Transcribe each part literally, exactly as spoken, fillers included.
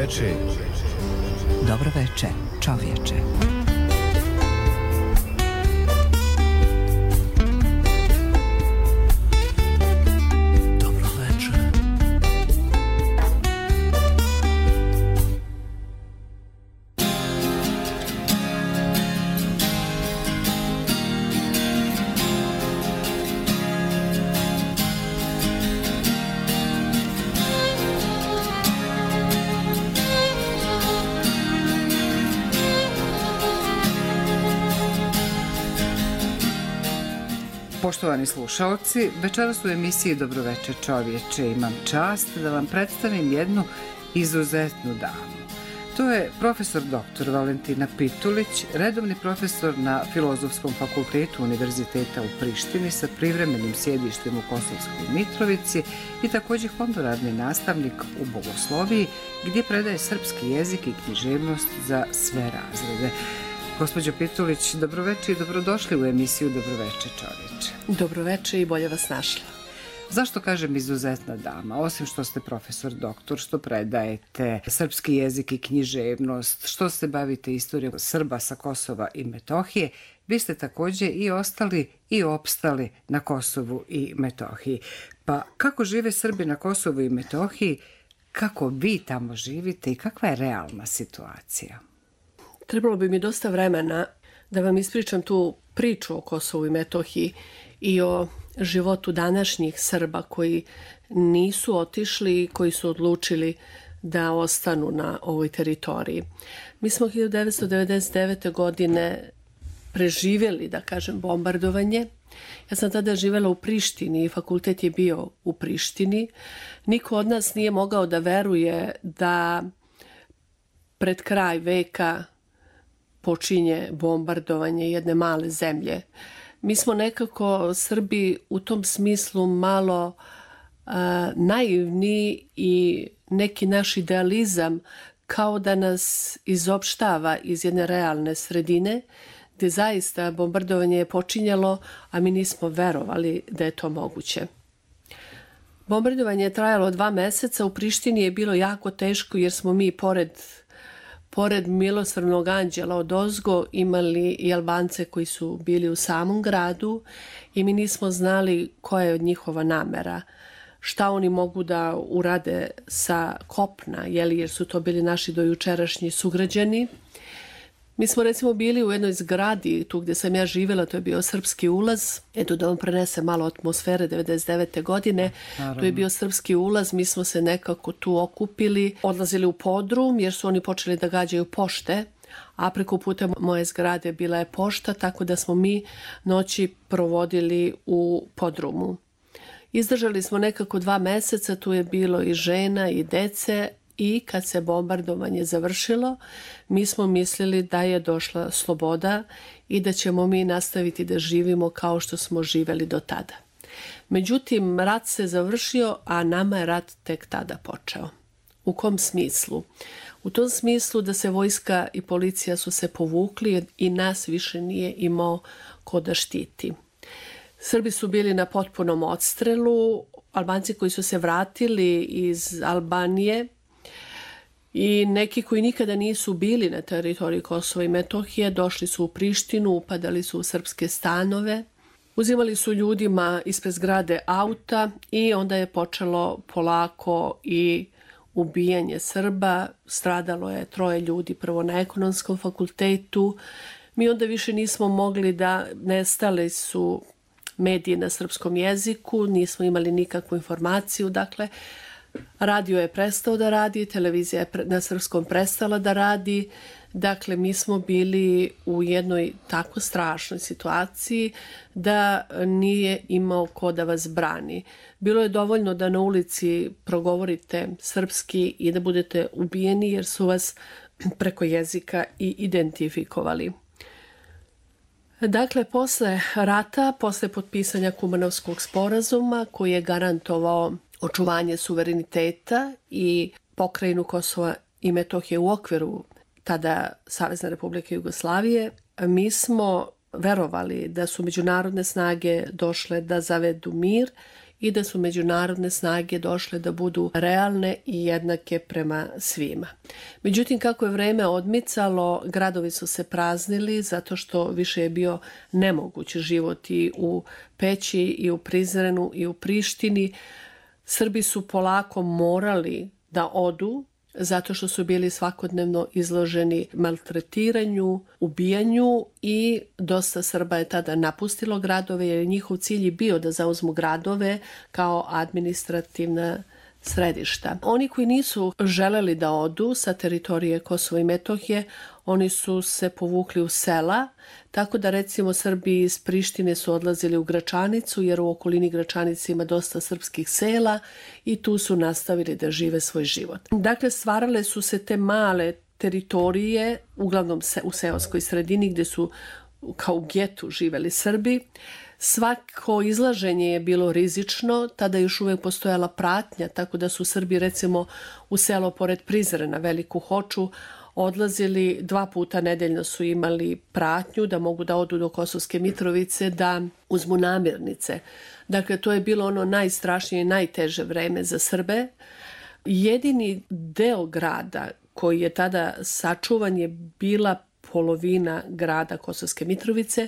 Dobroveče. Dobroveče, čovječe. Poštovani slušaoci, večeras u emisiji Dobroveče čovječe imam čast da vam predstavim jednu izuzetnu damu. To je profesor doktor Valentina Pitulić, redovni profesor na Filozofskom fakultetu Univerziteta u Prištini sa privremenim sjedištem u Kosovskoj Mitrovici i također honorarni nastavnik u bogosloviji gdje predaje srpski jezik i književnost za sve razrede. Gospođo Pitulić, dobroveče i dobrodošli u emisiju Dobroveče čovječe. Dobroveče i bolje vas našla. Zašto kažem izuzetna dama? Osim što ste profesor doktor, što predajete srpski jezik i književnost, što se bavite istorijom Srba sa Kosova i Metohije, vi ste također i ostali i opstali na Kosovu i Metohiji. Pa kako žive Srbi na Kosovu i Metohiji, kako vi tamo živite i kakva je realna situacija? Trebalo bi mi dosta vremena da vam ispričam tu priču o Kosovu i Metohiji i o životu današnjih Srba koji nisu otišli i koji su odlučili da ostanu na ovoj teritoriji. Mi smo hiljadu devetsto devedeset devete. godine preživjeli, da kažem, bombardovanje. Ja sam tada živjela u Prištini i fakultet je bio u Prištini. Niko od nas nije mogao da veruje da pred kraj veka počinje bombardovanje jedne male zemlje. Mi smo nekako Srbi u tom smislu malo uh, naivni i neki naš idealizam kao da nas izopštava iz jedne realne sredine gdje zaista bombardovanje je počinjalo, a mi nismo verovali da je to moguće. Bombardovanje je trajalo dva meseca, u Prištini je bilo jako teško jer smo mi pored Pored milosrdnog anđela odozgo imali i Albance koji su bili u samom gradu i mi nismo znali koja je od njihova namera, šta oni mogu da urade sa kopna, jeli, jer su to bili naši dojučerašnji sugrađani. Mi smo recimo bili u jednoj zgradi, tu gdje sam ja živjela, to je bio Srpski ulaz. Eto da vam prenese malo atmosfere devedeset devete. godine. Naravno. To je bio Srpski ulaz, mi smo se nekako tu okupili, odlazili u podrum jer su oni počeli da gađaju pošte, a preko puta moje zgrade bila je pošta, tako da smo mi noći provodili u podrumu. Izdržali smo nekako dva meseca, tu je bilo i žena i dece. I kad se bombardovanje završilo, mi smo mislili da je došla sloboda i da ćemo mi nastaviti da živimo kao što smo živeli do tada. Međutim, rat se završio, a nama je rat tek tada počeo. U kom smislu? U tom smislu da se vojska i policija su se povukli i nas više nije imao ko da štiti. Srbi su bili na potpunom odstrelu, Albanci koji su se vratili iz Albanije i neki koji nikada nisu bili na teritoriji Kosova i Metohije došli su u Prištinu, upadali su u srpske stanove, uzimali su ljudima ispred zgrade auta i onda je počelo polako i ubijanje Srba. Stradalo je troje ljudi prvo na Ekonomskom fakultetu. Mi onda više nismo mogli da nestali su mediji na srpskom jeziku, nismo imali nikakvu informaciju, dakle, radio je prestao da radi, televizija je na srpskom prestala da radi. Dakle, mi smo bili u jednoj tako strašnoj situaciji da nije imao ko da vas brani. Bilo je dovoljno da na ulici progovorite srpski i da budete ubijeni jer su vas preko jezika i identifikovali. Dakle, posle rata, posle potpisanja Kumanovskog sporazuma koji je garantovao očuvanje suvereniteta i pokrajinu Kosova i Metohije u okviru tada Savezne Republike Jugoslavije, mi smo verovali da su međunarodne snage došle da zavedu mir i da su međunarodne snage došle da budu realne i jednake prema svima. Međutim, kako je vreme odmicalo, gradovi su se praznili zato što više je bio nemoguć život i u Peći i u Prizrenu i u Prištini. Srbi su polako morali da odu zato što su bili svakodnevno izloženi maltretiranju, ubijanju i dosta Srba je tada napustilo gradove jer njihov cilj je bio da zauzmu gradove kao administrativna središta. Oni koji nisu želeli da odu sa teritorije Kosova i Metohije, oni su se povukli u sela, tako da recimo Srbi iz Prištine su odlazili u Gračanicu, jer u okolini Gračanice ima dosta srpskih sela i tu su nastavili da žive svoj život. Dakle, stvarale su se te male teritorije, uglavnom u seoskoj sredini gdje su kao u getu živeli Srbi. Svako izlaženje je bilo rizično, tada još uvijek postojala pratnja, tako da su Srbi recimo u selo pored Prizrena, Veliku Hoču, odlazili dva puta nedeljno, su imali pratnju da mogu da odu do Kosovske Mitrovice, da uzmu namirnice. Dakle, to je bilo ono najstrašnije i najteže vreme za Srbe. Jedini deo grada koji je tada sačuvan je bila polovina grada Kosovske Mitrovice.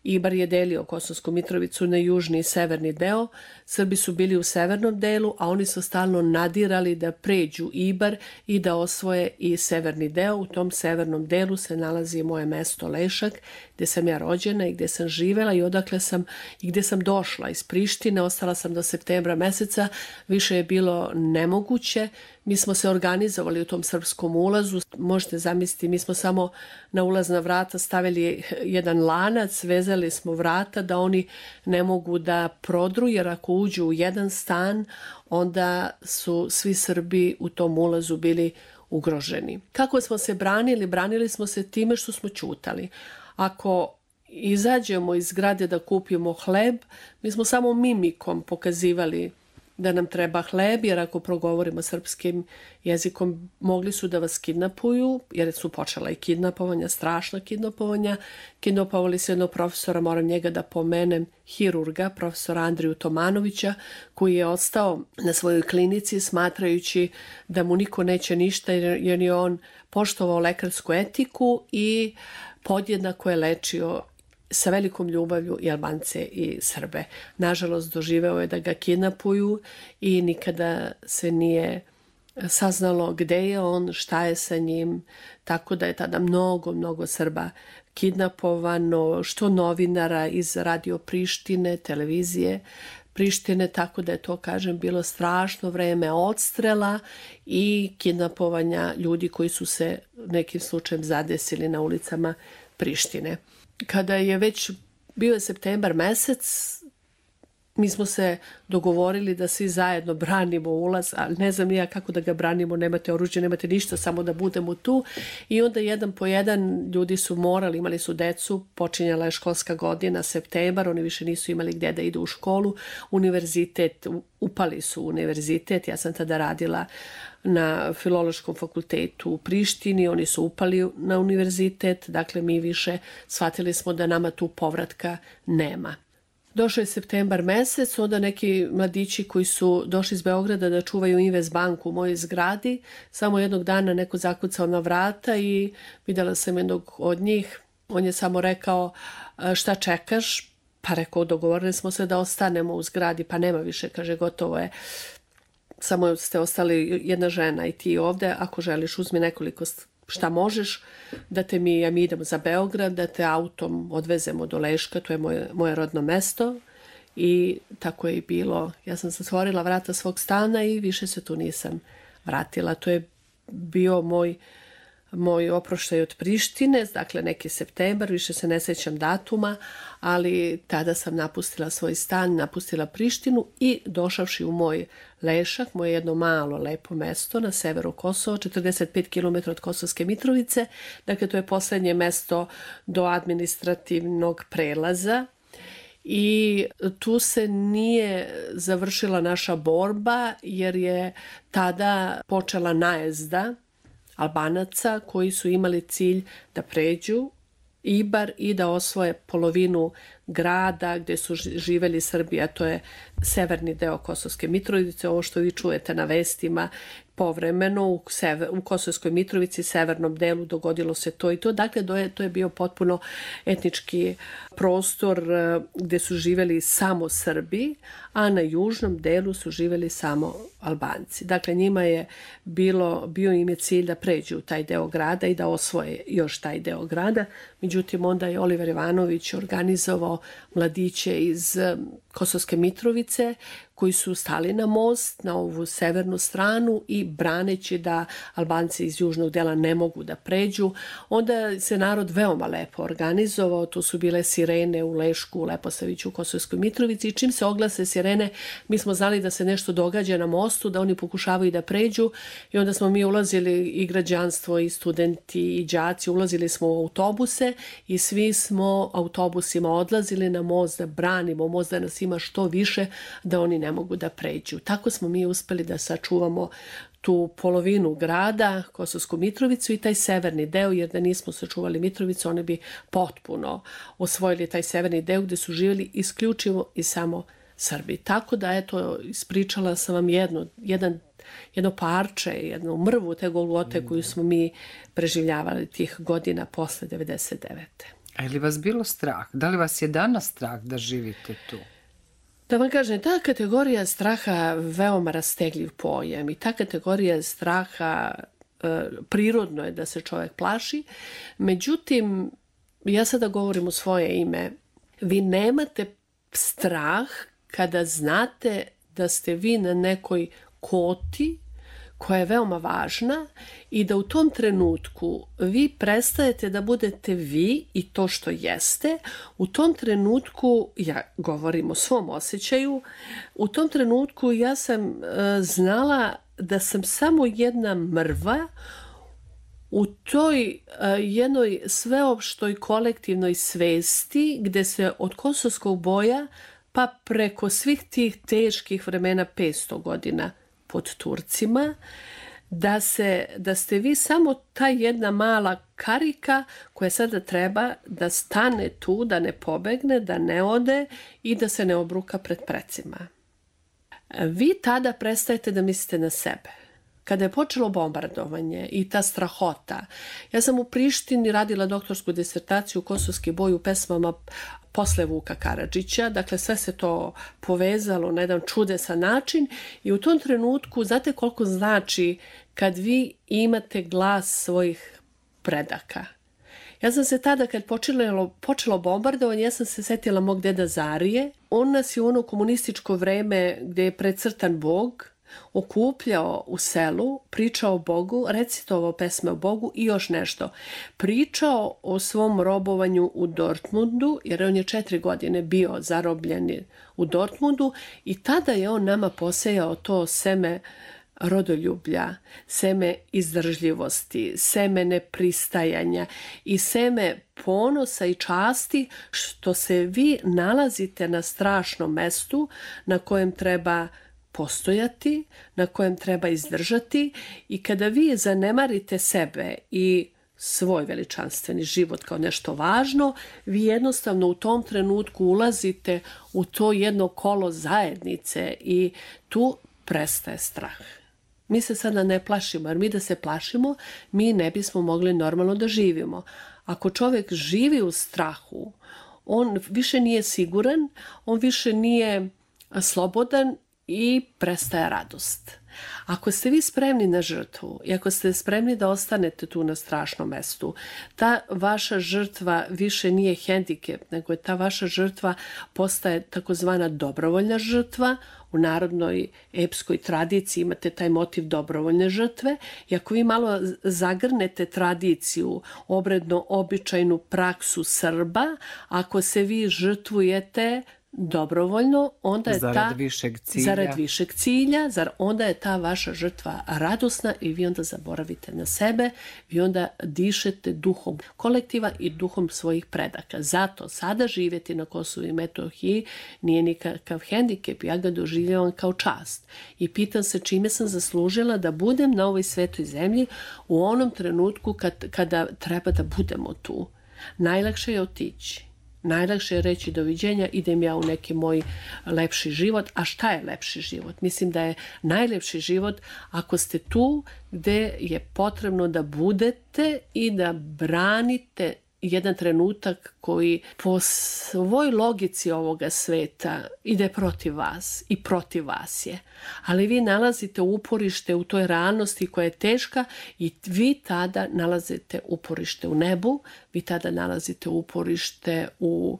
Ibar je delio Kosovsku Mitrovicu na južni i severni deo. Srbi su bili u severnom delu, a oni su stalno nadirali da pređu Ibar i da osvoje i severni deo. U tom severnom delu se nalazi moje mesto Lešak, gdje sam ja rođena i gdje sam živela i odakle sam i gdje sam došla iz Prištine. Ostala sam do septembra meseca, više je bilo nemoguće. Mi smo se organizovali u tom srpskom ulazu. Možete zamisliti, mi smo samo na ulazna vrata stavili jedan lanac, vezali smo vrata da oni ne mogu da prodru, jer ako uđu u jedan stan, onda su svi Srbi u tom ulazu bili ugroženi. Kako smo se branili? Branili smo se time što smo ćutali. Ako izađemo iz zgrade da kupimo hleb, mi smo samo mimikom pokazivali da nam treba hleb, jer ako progovorimo srpskim jezikom mogli su da vas kidnapuju, jer su počela i kidnapovanja, strašna kidnapovanja. Kidnapovali su jednog profesora, moram njega da pomenem, hirurga, profesora Andriju Tomanovića, koji je ostao na svojoj klinici smatrajući da mu niko neće ništa, jer je on poštovao lekarsku etiku i podjednako je lečio sa velikom ljubavlju i Albance i Srbe. Nažalost, doživeo je da ga kidnapuju i nikada se nije saznalo gde je on, šta je sa njim, tako da je tada mnogo, mnogo Srba kidnapovano, što novinara iz Radio Prištine, televizije Prištine, tako da je to, kažem, bilo strašno vreme odstrela i kidnapovanja ljudi koji su se nekim slučajem zadesili na ulicama Prištine. Kada je već bio septembar mesec, mi smo se dogovorili da svi zajedno branimo ulaz, ali ne znam ja kako da ga branimo, nemate oružje, nemate ništa, samo da budemo tu. I onda jedan po jedan ljudi su morali, imali su decu, počinjala je školska godina, septembar, oni više nisu imali gdje da idu u školu, univerzitet, upali su u univerzitet, ja sam tada radila na Filološkom fakultetu u Prištini, oni su upali na univerzitet, dakle mi više shvatili smo da nama tu povratka nema. Došao je septembar mesec, onda neki mladići koji su došli iz Beograda da čuvaju Invest banku u mojoj zgradi, samo jednog dana neko zakucao na vrata i videla sam jednog od njih, on je samo rekao šta čekaš, pa rekao dogovorili smo se da ostanemo u zgradi, pa nema više, kaže gotovo je. Samo ste ostali jedna žena i ti ovde, ako želiš uzmi nekoliko šta možeš, da te mi, ja mi idemo za Beograd, da te autom odvezemo do Leška, to je moje, moje rodno mesto i tako je i bilo. Ja sam zatvorila vrata svog stana i više se tu nisam vratila. To je bio moj, moj oproštaj od Prištine, dakle neki septembar, više se ne sjećam datuma, ali tada sam napustila svoj stan, napustila Prištinu i došavši u moj Lešak, moje jedno malo lepo mesto na severu Kosova, četrdeset pet kilometara od Kosovske Mitrovice, dakle to je poslednje mesto do administrativnog prelaza i tu se nije završila naša borba jer je tada počela najezda Albanaca koji su imali cilj da pređu Ibar i da osvoje polovinu grada gde su živeli Srbi, a to je severni deo Kosovske Mitrovice, ovo što vi čujete na vestima, povremeno u, sever, u Kosovskoj Mitrovici, severnom delu, dogodilo se to i to. Dakle, to je, to je bio potpuno etnički prostor gde su živeli samo Srbi, a na južnom delu su živeli samo Albanci. Dakle, njima je bilo, bio im je cilj da pređu u taj deo grada i da osvoje još taj deo grada. Međutim, onda je Oliver Ivanović organizovao mladiće iz Kosovske Mitrovice koji su stali na most, na ovu severnu stranu i braneći da Albanci iz južnog dela ne mogu da pređu. Onda se narod veoma lepo organizovao, tu su bile sirene u Lešku, u Leposaviću, u Kosovskoj Mitrovici i čim se oglase sirene, mi smo znali da se nešto događa na mostu, da oni pokušavaju da pređu i onda smo mi ulazili i građanstvo i studenti i đaci, ulazili smo u autobuse i svi smo autobusima odlazili na most da branimo most, da nas ima što više, da oni ne mogu da pređu. Tako smo mi uspeli da sačuvamo tu polovinu grada, Kosovsku Mitrovicu i taj severni deo, jer da nismo sačuvali Mitrovicu, oni bi potpuno osvojili taj severni deo gde su živjeli isključivo i samo Srbi. Tako da, eto, ispričala sam vam jedno, jedan, jedno parče, jednu mrvu te Golgote koju smo mi preživljavali tih godina posle devedeset devete. A je li vas bilo strah? Da li vas je danas strah da živite tu? Da vam kažem, ta kategorija straha veoma rastegljiv pojam i ta kategorija straha e, prirodno je da se čovjek plaši. Međutim, ja sada govorim u svoje ime, vi nemate strah kada znate da ste vi na nekoj koti koja je veoma važna i da u tom trenutku vi prestajete da budete vi i to što jeste. U tom trenutku, ja govorim o svom osjećaju, u tom trenutku ja sam uh, znala da sam samo jedna mrva u toj uh, jednoj sveopštoj kolektivnoj svesti gde se od kosovskog boja pa preko svih tih teških vremena petsto godina pod Turcima, da, se, da ste vi samo ta jedna mala karika koja sada treba da stane tu, da ne pobegne, da ne ode i da se ne obruka pred precima. Vi tada prestajete da mislite na sebe. Kada je počelo bombardovanje i ta strahota, ja sam u Prištini radila doktorsku disertaciju Kosovski boj u pesmama posle Vuka Karadžića, dakle sve se to povezalo na jedan čudesan način i u tom trenutku znate koliko znači kad vi imate glas svojih predaka. Ja sam se tada kad počelo, počelo bombardovanje, ja sam se setila mog deda Zarije. On nas je u ono komunističko vreme gdje je precrtan Bog okupljao u selu, pričao o Bogu, recitovao pesme o Bogu i još nešto. Pričao o svom robovanju u Dortmundu, jer on je četiri godine bio zarobljen u Dortmundu i tada je on nama posejao to seme rodoljublja, seme izdržljivosti, seme nepristajanja i seme ponosa i časti što se vi nalazite na strašnom mestu na kojem treba postojati, na kojem treba izdržati i kada vi zanemarite sebe i svoj veličanstveni život kao nešto važno, vi jednostavno u tom trenutku ulazite u to jedno kolo zajednice i tu prestaje strah. Mi se sada ne plašimo, jer mi da se plašimo, mi ne bismo mogli normalno da živimo. Ako čovjek živi u strahu, on više nije siguran, on više nije slobodan i prestaje radost. Ako ste vi spremni na žrtvu i ako ste spremni da ostanete tu na strašnom mestu, ta vaša žrtva više nije hendikep, nego je ta vaša žrtva postaje takozvana dobrovoljna žrtva. U narodnoj epskoj tradiciji imate taj motiv dobrovoljne žrtve i ako vi malo zagrnete tradiciju, obredno običajnu praksu Srba, ako se vi žrtvujete dobrovoljno, onda je zarad ta višeg cilja. zarad višeg cilja, zar onda je ta vaša žrtva radosna i vi onda zaboravite na sebe, vi onda dišete duhom kolektiva i duhom svojih predaka. Zato sada živjeti na Kosovu i Metohiji nije nikakav hendikep, ja ga doživljavam kao čast. I pitam se čime sam zaslužila da budem na ovoj svetoj zemlji u onom trenutku kad, kada treba da budemo tu. Najlakše je otići. Najlakše je reći doviđenja, idem ja u neki moj lepši život. A šta je lepši život? Mislim da je najlepši život ako ste tu gde je potrebno da budete i da branite jedan trenutak koji po svoj logici ovoga sveta ide protiv vas i protiv vas je. Ali vi nalazite uporište u toj realnosti koja je teška i vi tada nalazite uporište u nebu, vi tada nalazite uporište u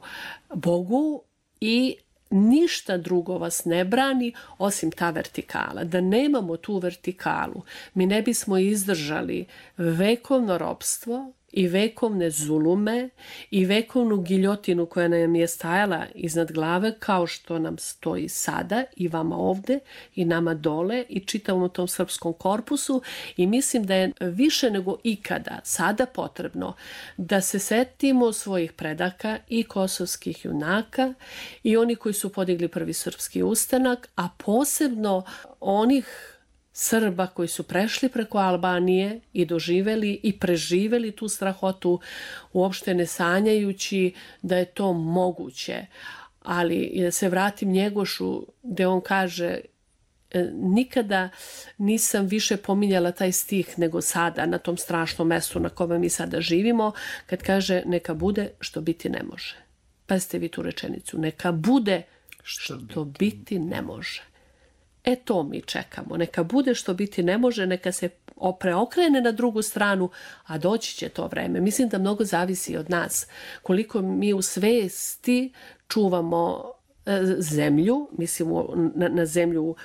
Bogu i ništa drugo vas ne brani osim ta vertikala. Da nemamo tu vertikalu, mi ne bismo izdržali vekovno ropstvo i vekovne zulume i vekovnu giljotinu koja nam je stajala iznad glave kao što nam stoji sada i vama ovde i nama dole i čitavom tom srpskom korpusu i mislim da je više nego ikada sada potrebno da se setimo svojih predaka i kosovskih junaka i oni koji su podigli prvi srpski ustanak, a posebno onih Srba koji su prešli preko Albanije i doživeli i preživeli tu strahotu, uopšte ne sanjajući da je to moguće. Ali da se vratim Njegošu gde on kaže nikada nisam više pominjala taj stih nego sada na tom strašnom mestu na kome mi sada živimo, kad kaže neka bude što biti ne može. Pazite vi tu rečenicu, neka bude što, što biti ne može. E to mi čekamo. Neka bude što biti ne može, neka se preokrene na drugu stranu, a doći će to vreme. Mislim da mnogo zavisi od nas. Koliko mi u svesti čuvamo zemlju, mislimo na, na zemlju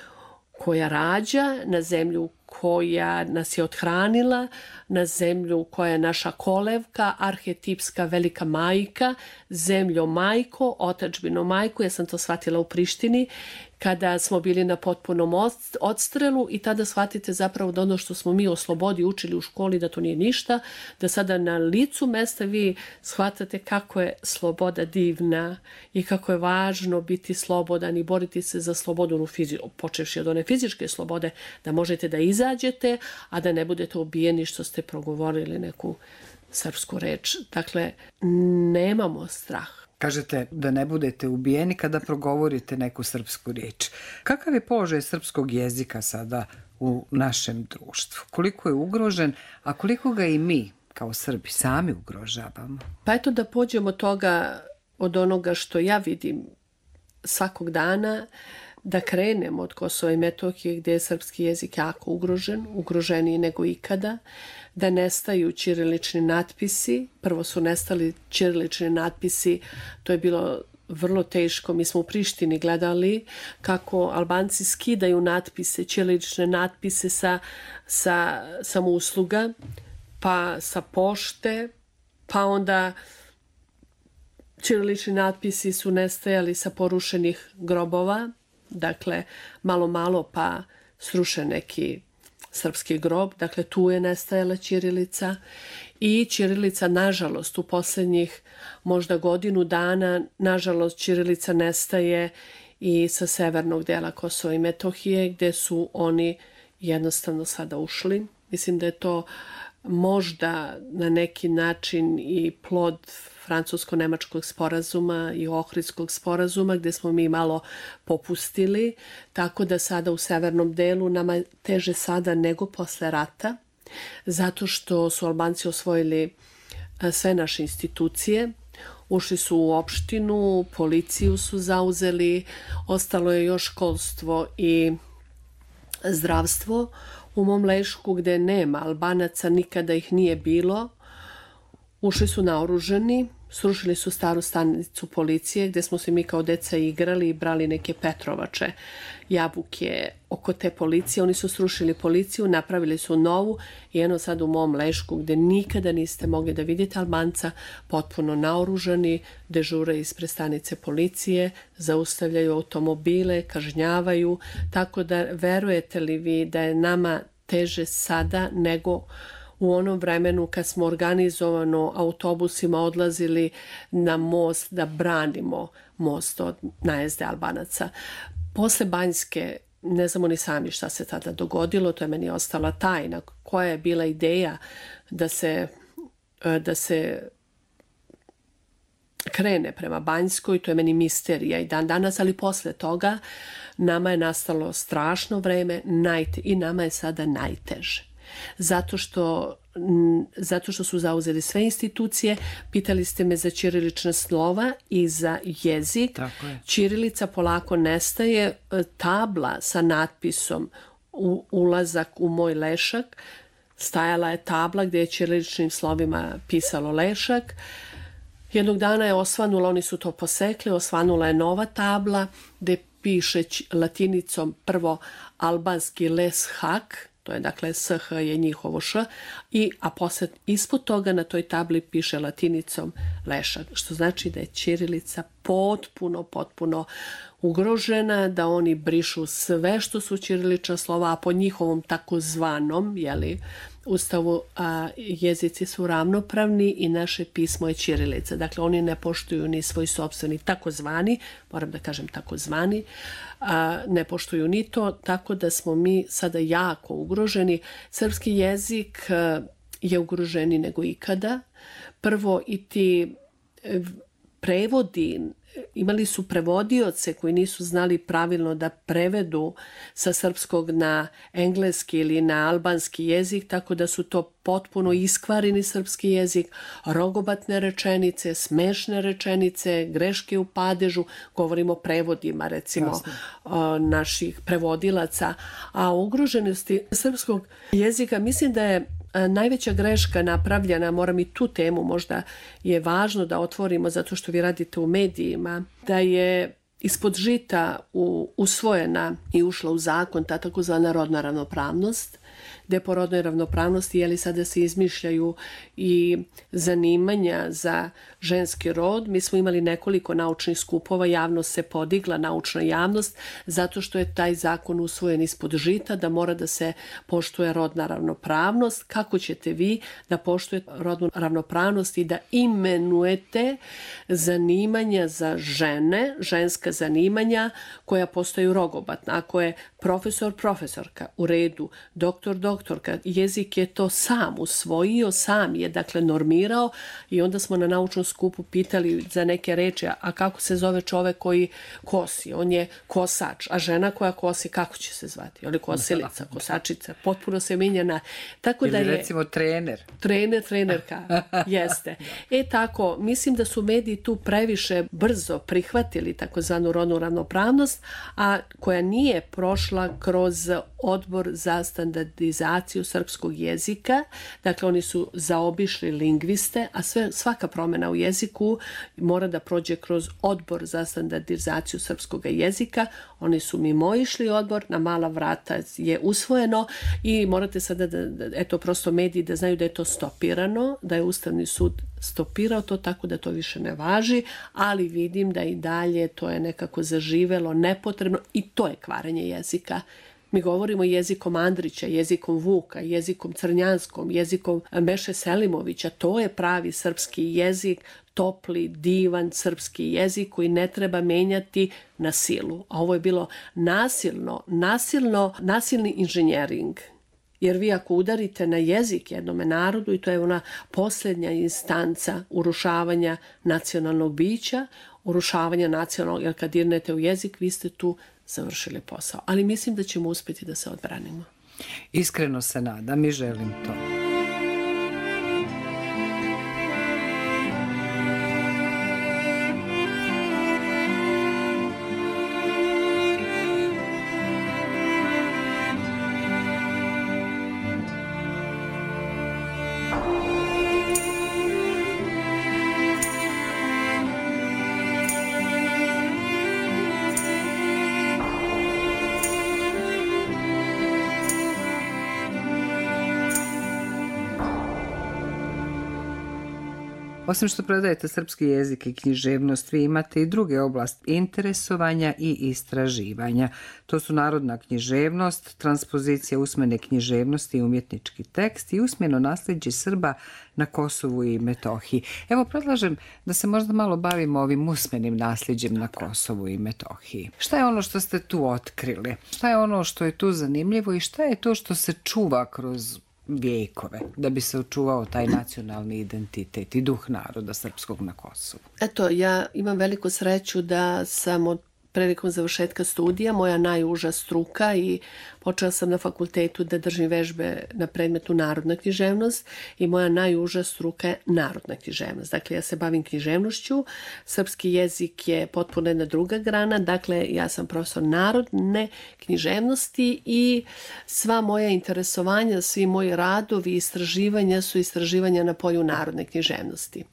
koja rađa, na zemlju koja nas je othranila, na zemlju koja je naša kolevka, arhetipska velika majka, zemljo majko, otadžbino majko, ja sam to shvatila u Prištini, kada smo bili na potpunom odstrelu i tada shvatite zapravo da ono što smo mi o slobodi učili u školi da to nije ništa, da sada na licu mesta vi shvatate kako je sloboda divna i kako je važno biti slobodan i boriti se za slobodu, počevši od one fizičke slobode, da možete da izađete, a da ne budete ubijeni što ste progovorili neku srpsku reč. Dakle, nemamo strah. Kažete da ne budete ubijeni kada progovorite neku srpsku riječ. Kakav je položaj srpskog jezika sada u našem društvu? Koliko je ugrožen, a koliko ga i mi kao Srbi sami ugrožavamo? Pa eto da pođemo od toga, od onoga što ja vidim svakog dana, da krenemo od Kosova i Metohije gdje je srpski jezik jako ugrožen, ugroženiji nego ikada, da nestaju ćirilični natpisi. Prvo su nestali ćirilični natpisi, to je bilo vrlo teško. Mi smo u Prištini gledali kako Albanci skidaju natpise, ćirilične natpise sa, sa samousluga, pa sa pošte, pa onda ćirilični natpisi su nestajali sa porušenih grobova. Dakle, malo, malo pa sruše neki srpski grob. Dakle, tu je nestajala ćirilica. I ćirilica, nažalost, u posljednjih možda godinu dana, nažalost, ćirilica nestaje i sa severnog dela Kosova i Metohije, gde su oni jednostavno sada ušli. Mislim da je to možda na neki način i plod francusko-nemačkog sporazuma i ohridskog sporazuma gdje smo mi malo popustili, tako da sada u severnom delu nama teže sada nego posle rata, zato što su Albanci osvojili sve naše institucije, ušli su u opštinu, policiju su zauzeli, ostalo je još školstvo i zdravstvo. U mom Lešku gdje nema Albanaca, nikada ih nije bilo, ušli su naoružani, srušili su staru stanicu policije gdje smo se mi kao deca igrali i brali neke petrovače, jabuke oko te policije. Oni su srušili policiju, napravili su novu i eno sad u mom Lešku gdje nikada niste mogli da vidite Albanca, potpuno naoružani, dežure ispred stanice policije, zaustavljaju automobile, kažnjavaju, tako da verujete li vi da je nama teže sada nego u onom vremenu kad smo organizovano autobusima odlazili na most da branimo most od najezde Albanaca. Posle Banjske ne znamo ni sami šta se tada dogodilo, to je meni ostala tajna. Koja je bila ideja da se, da se krene prema Banjskoj, to je meni misterija i dan danas, ali posle toga nama je nastalo strašno vreme najte, i nama je sada najteže. Zato što, zato što su zauzeli sve institucije. Pitali ste me za ćirilična slova i za jezik. Ćirilica polako nestaje. Tabla sa natpisom u, ulazak u moj lešak, stajala je tabla gdje je ćiriličnim slovima pisalo lešak. Jednog dana je osvanula, oni su to posekli, osvanula je nova tabla gdje piše latinicom prvo albanski leshak, to je dakle sh je njihovo š, i, a posle ispod toga na toj tabli piše latinicom lešak, što znači da je ćirilica potpuno, potpuno ugrožena, da oni brišu sve što su ćirilična slova, a po njihovom takozvanom, jeli, Ustavu, a jezici su ravnopravni i naše pismo je ćirilica. Dakle, oni ne poštuju ni svoj sopstveni takozvani, moram da kažem takozvani, a ne poštuju ni to, tako da smo mi sada jako ugroženi. Srpski jezik je ugroženiji nego ikada. Prvo i ti prevodi, imali su prevodioce koji nisu znali pravilno da prevedu sa srpskog na engleski ili na albanski jezik, tako da su to potpuno iskvareni srpski jezik, rogobatne rečenice, smešne rečenice, greške u padežu, govorimo o prevodima, recimo, Jasne. naših prevodilaca, a o ugroženosti srpskog jezika mislim da je najveća greška napravljena, moram i tu temu, možda je važno da otvorimo zato što vi radite u medijima, da je ispod žita u, usvojena i ušla u zakon ta takozvana rodna ravnopravnost, gde po rodnoj ravnopravnosti jeli sada se izmišljaju i zanimanja za ženski rod. Mi smo imali nekoliko naučnih skupova, javnost se podigla, naučna javnost, zato što je taj zakon usvojen ispod žita, da mora da se poštuje rodna ravnopravnost. Kako ćete vi da poštujete rodnu ravnopravnost i da imenujete zanimanja za žene, ženska zanimanja koja postaju rogobatna? Ako je profesor, profesorka, u redu, doktor, doktorka, jezik je to sam usvojio, sam je dakle normirao i onda smo na naučnom skupu pitali za neke reči, a kako se zove čovek koji kosi? On je kosač, a žena koja kosi, kako će se zvati? Ili kosilica, kosačica, potpuno se menjana. Tako da je, ili recimo trener. Trener, trenerka, jeste. E tako, mislim da su mediji tu previše brzo prihvatili takozvanu rodnu ravnopravnost, a koja nije prošla kroz odbor za standardizaciju srpskog jezika. Dakle, oni su zaobišli lingviste, a sve, svaka promjena u jeziku mora da prođe kroz odbor za standardizaciju srpskog jezika. Oni su mimoišli odbor, na mala vrata je usvojeno i morate sada da, da eto, prosto mediji da znaju da je to stopirano, da je Ustavni sud stopirao to tako da to više ne važi, ali vidim da i dalje to je nekako zaživelo, nepotrebno i to je kvarenje jezika. Mi govorimo jezikom Andrića, jezikom Vuka, jezikom Crnjanskom, jezikom Meše Selimovića. To je pravi srpski jezik, topli, divan srpski jezik koji ne treba menjati na silu. A ovo je bilo nasilno, nasilno, nasilni inženjering. Jer vi ako udarite na jezik jednome narodu, i to je ona posljednja instanca urušavanja nacionalnog bića, urušavanja nacionalnog, jer kad dirnete u jezik, vi ste tu završili posao. Ali mislim da ćemo uspjeti da se odbranimo. Iskreno se nadam i želim to. Osim što predajete srpski jezik i književnost, vi imate i druge oblasti interesovanja i istraživanja. To su narodna književnost, transpozicija usmene književnosti i umjetnički tekst i usmeno nasljeđe Srba na Kosovu i Metohiji. Evo, predlažem da se možda malo bavimo ovim usmenim nasljeđem na Kosovu i Metohiji. Šta je ono što ste tu otkrili? Šta je ono što je tu zanimljivo i šta je to što se čuva kroz vijekove da bi se očuvao taj nacionalni identitet i duh naroda srpskog na Kosovu? Eto, ja imam veliku sreću da sam od prilikom završetka studija, moja najuža struka, i počela sam na fakultetu da držim vežbe na predmetu narodna književnost, i moja najuža struka je narodna književnost. Dakle, ja se bavim književnošću, srpski jezik je potpuno jedna druga grana, dakle, ja sam profesor narodne književnosti i sva moja interesovanja, svi moji radovi i istraživanja su istraživanja na polju narodne književnosti.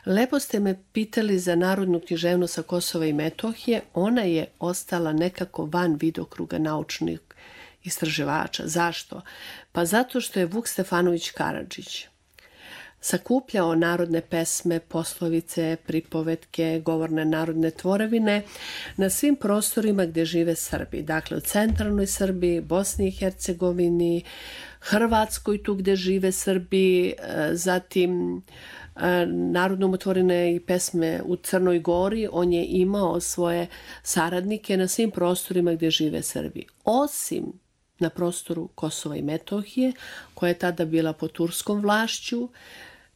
Lepo ste me pitali za narodnu književnost sa Kosova i Metohije. Ona je ostala nekako van vidokruga naučnih istraživača. Zašto? Pa zato što je Vuk Stefanović Karadžić sakupljao narodne pesme, poslovice, pripovetke, govorne narodne tvorevine na svim prostorima gdje žive Srbi. Dakle, u centralnoj Srbiji, Bosni i Hercegovini, Hrvatskoj, tu gdje žive Srbi, zatim narodno umotvorene i pesme u Crnoj Gori. On je imao svoje saradnike na svim prostorima gdje žive Srbi. Osim na prostoru Kosova i Metohije, koja je tada bila pod turskom vlašću,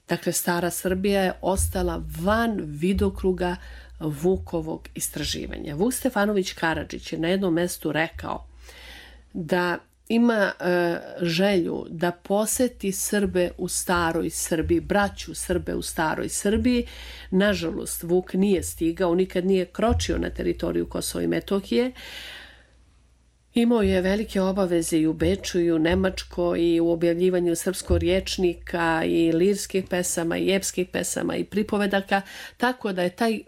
dakle stara Srbija je ostala van vidokruga Vukovog istraživanja. Vuk Stefanović Karadžić je na jednom mestu rekao da ima e, želju da poseti Srbe u staroj Srbiji, braću Srbe u staroj Srbiji. Nažalost, Vuk nije stigao, nikad nije kročio na teritoriju Kosova i Metohije. Imao je velike obaveze i u Beču i u Nemačkoj i u objavljivanju srpskog rječnika i lirskih pesama i epskih pesama i pripovedaka, tako da je taj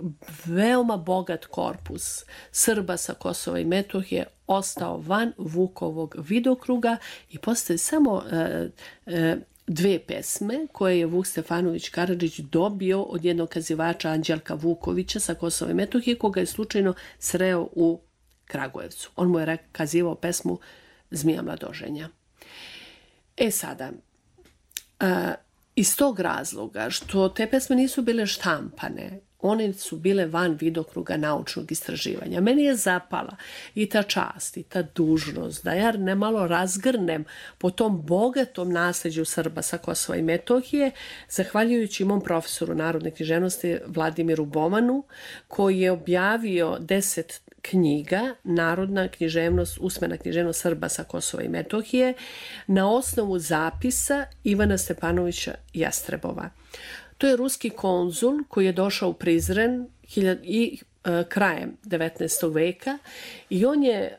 veoma bogat korpus Srba sa Kosova i Metohije ostao van Vukovog vidokruga i postoje samo e, e, dve pesme koje je Vuk Stefanović Karadžić dobio od jednog kazivača Anđelka Vukovića sa Kosova i Metohije, koga je slučajno sreo u Kragujevcu. On mu je kazivao pesmu Zmija mladoženja. E sada, a, iz tog razloga što te pesme nisu bile štampane, one su bile van vidokruga naučnog istraživanja. Meni je zapala i ta čast i ta dužnost da ja nemalo razgrnem po tom bogatom nasljeđu Srba sa Kosova i Metohije, zahvaljujući mom profesoru narodne književnosti Vladimiru Bomanu, koji je objavio deset knjiga Narodna književnost, usmena književnost Srba sa Kosova i Metohije na osnovu zapisa Ivana Stepanovića Jastrebova. To je ruski konzul koji je došao u Prizren i e, krajem devetnaestog veka i on je e,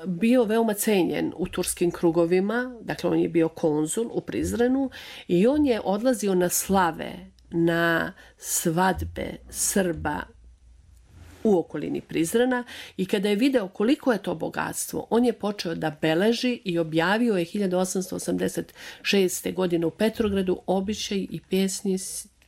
bio veoma cenjen u turskim krugovima, dakle on je bio konzul u Prizrenu i on je odlazio na slave, na svadbe Srba u okolini Prizrena i kada je video koliko je to bogatstvo, on je počeo da beleži i objavio je hiljadu osamsto osamdeset šeste. godine u Petrogradu običaj i pjesni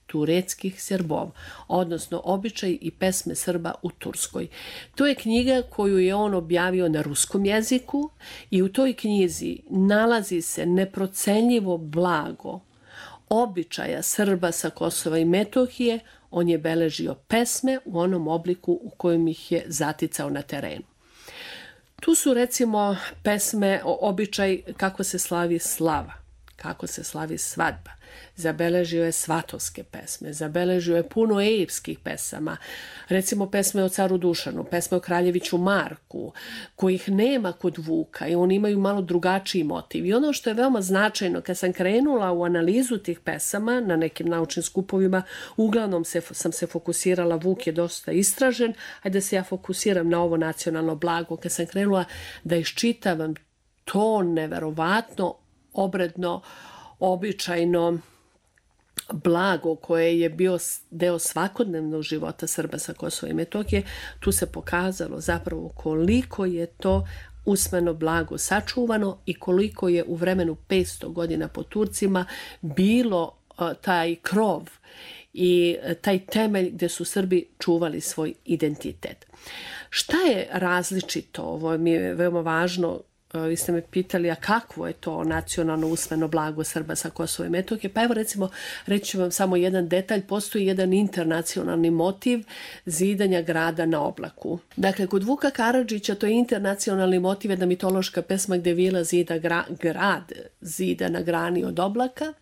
tureckih Srbov, odnosno običaj i pesme Srba u Turskoj. To je knjiga koju je on objavio na ruskom jeziku i u toj knjizi nalazi se neprocenljivo blago običaja Srba sa Kosova i Metohije. On je beležio pesme u onom obliku u kojem ih je zaticao na terenu. Tu su recimo pesme o običaj kako se slavi slava, kako se slavi svadba. Zabeležio je svatovske pesme, zabeležio je puno epskih pesama, recimo pesme o caru Dušanu, pesme o kraljeviću Marku, kojih nema kod Vuka i oni imaju malo drugačiji motiv. I ono što je veoma značajno, kad sam krenula u analizu tih pesama na nekim naučnim skupovima, uglavnom se, sam se fokusirala, Vuk je dosta istražen, ajde da se ja fokusiram na ovo nacionalno blago. Kad sam krenula da iščitavam to neverovatno, obredno, običajno blago koje je bio deo svakodnevnog života Srba sa Kosova i Metohije, tu se pokazalo zapravo koliko je to usmeno blago sačuvano i koliko je u vremenu petsto godina po Turcima bilo uh, taj krov i taj temelj gdje su Srbi čuvali svoj identitet. Šta je različito, ovo mi je veoma važno vi ste me pitali, a kakvo je to nacionalno usmeno blago Srba sa Kosova i Metohije? Pa evo recimo, reći ću vam samo jedan detalj, postoji jedan internacionalni motiv zidanja grada na oblaku. Dakle, kod Vuka Karadžića to je internacionalni motiv, jedna mitološka pesma gde vila zida gra, grad zida na grani od oblaka,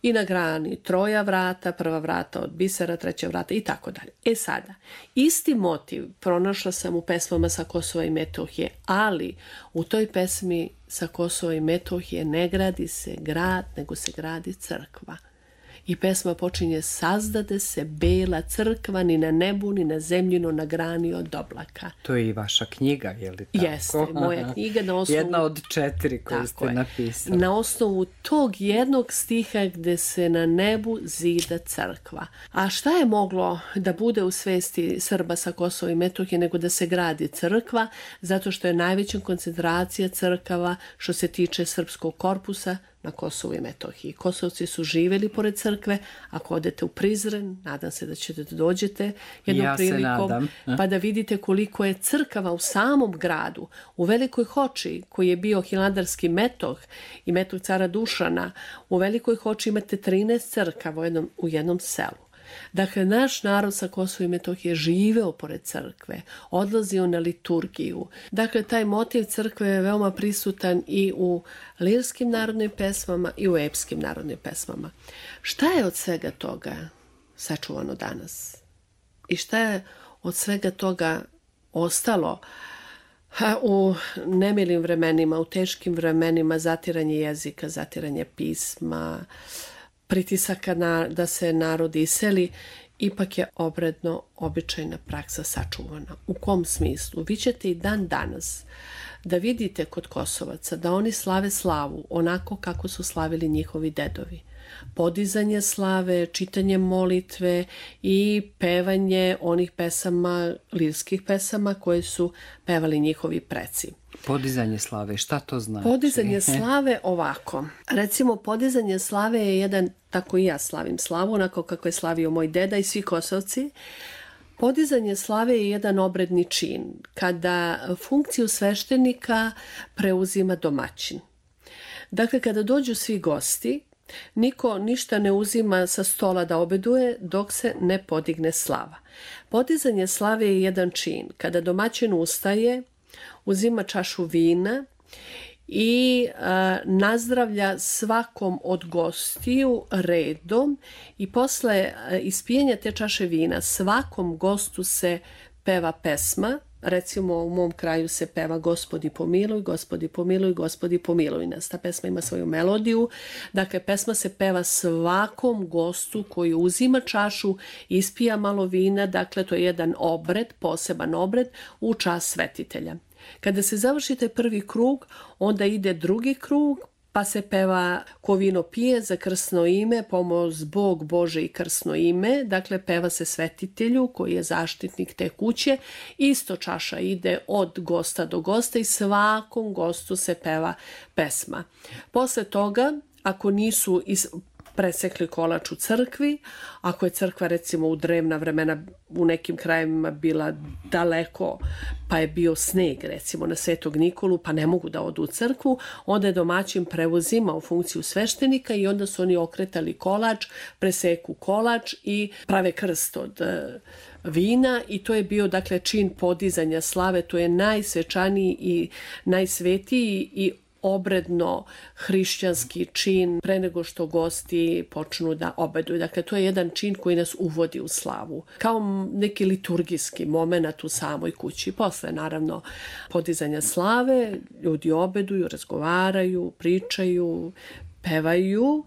i na grani troja vrata, prva vrata od bisera, treća vrata i tako dalje. E sada, isti motiv pronašla sam u pesmama sa Kosova i Metohije, ali u toj pesmi sa Kosova i Metohije ne gradi se grad, nego se gradi crkva. I pesma počinje: sazdade se bela crkva ni na nebu, ni na zemljino na grani od oblaka. To je i vaša knjiga, je li tako? Jeste, moja knjiga na osnovu... Jedna od četiri koju ste je. napisali. Na osnovu tog jednog stiha gde se na nebu zida crkva. A šta je moglo da bude u svesti Srba sa Kosova i Metohije nego da se gradi crkva, zato što je najveća koncentracija crkava što se tiče srpskog korpusa na Kosovu i Metohiji. Kosovci su živjeli pored crkve. Ako odete u Prizren, nadam se da ćete da dođete jednom ja prilikom, pa da vidite koliko je crkava u samom gradu. U Velikoj Hoči, koji je bio hilandarski metoh i metoh cara Dušana, u Velikoj Hoči imate trinaest crkava u jednom, u jednom selu. Dakle, naš narod sa Kosova i Metohije živeo pored crkve, odlazio na liturgiju. Dakle, taj motiv crkve je veoma prisutan i u lirskim narodnim pesmama i u epskim narodnim pesmama. Šta je od svega toga sačuvano danas? I šta je od svega toga ostalo u nemilim vremenima, u teškim vremenima, zatiranje jezika, zatiranje pisma, pritisaka na, da se narod iseli, ipak je obredno običajna praksa sačuvana. U kom smislu? Vi ćete i dan danas da vidite kod Kosovaca da oni slave slavu onako kako su slavili njihovi dedovi. Podizanje slave, čitanje molitve i pevanje onih pesama, lirskih pesama koje su pevali njihovi preci. Podizanje slave, šta to znači? Podizanje slave ovako. Recimo, podizanje slave je jedan, tako i ja slavim slavu, onako kako je slavio moj deda i svi Kosovci. Podizanje slave je jedan obredni čin, kada funkciju sveštenika preuzima domaćin. Dakle, kada dođu svi gosti, niko ništa ne uzima sa stola da obeduje dok se ne podigne slava. Podizanje slave je jedan čin. Kada domaćin ustaje, uzima čašu vina i a, nazdravlja svakom od gostiju redom i posle a, ispijenja te čaše vina svakom gostu se peva pesma. Recimo, u mom kraju se peva Gospodi pomiluj, Gospodi pomiluj, Gospodi pomiluj nas. Ta pesma ima svoju melodiju. Dakle, pesma se peva svakom gostu koji uzima čašu, ispija malo vina. Dakle, to je jedan obred, poseban obred u čast svetitelja. Kada se završi taj prvi krug, onda ide drugi krug, pa se peva ko vino pije za krsno ime, pomoz Bog Bože i krsno ime. Dakle, peva se svetitelju koji je zaštitnik te kuće. Isto čaša ide od gosta do gosta i svakom gostu se peva pesma. Posle toga, ako nisu iz... presekli kolač u crkvi, ako je crkva recimo u drevna vremena u nekim krajevima bila daleko, pa je bio sneg recimo na Svetog Nikolu, pa ne mogu da odu u crkvu, onda je domaćin preuzimao funkciju sveštenika i onda su oni okretali kolač, preseku kolač i prave krst od vina i to je bio dakle čin podizanja slave, to je najsvečaniji i najsvetiji i obredno hrišćanski čin pre nego što gosti počnu da obeduju. Dakle, to je jedan čin koji nas uvodi u slavu. Kao neki liturgijski moment u samoj kući. Posle, naravno, podizanja slave, ljudi obeduju, razgovaraju, pričaju, pevaju,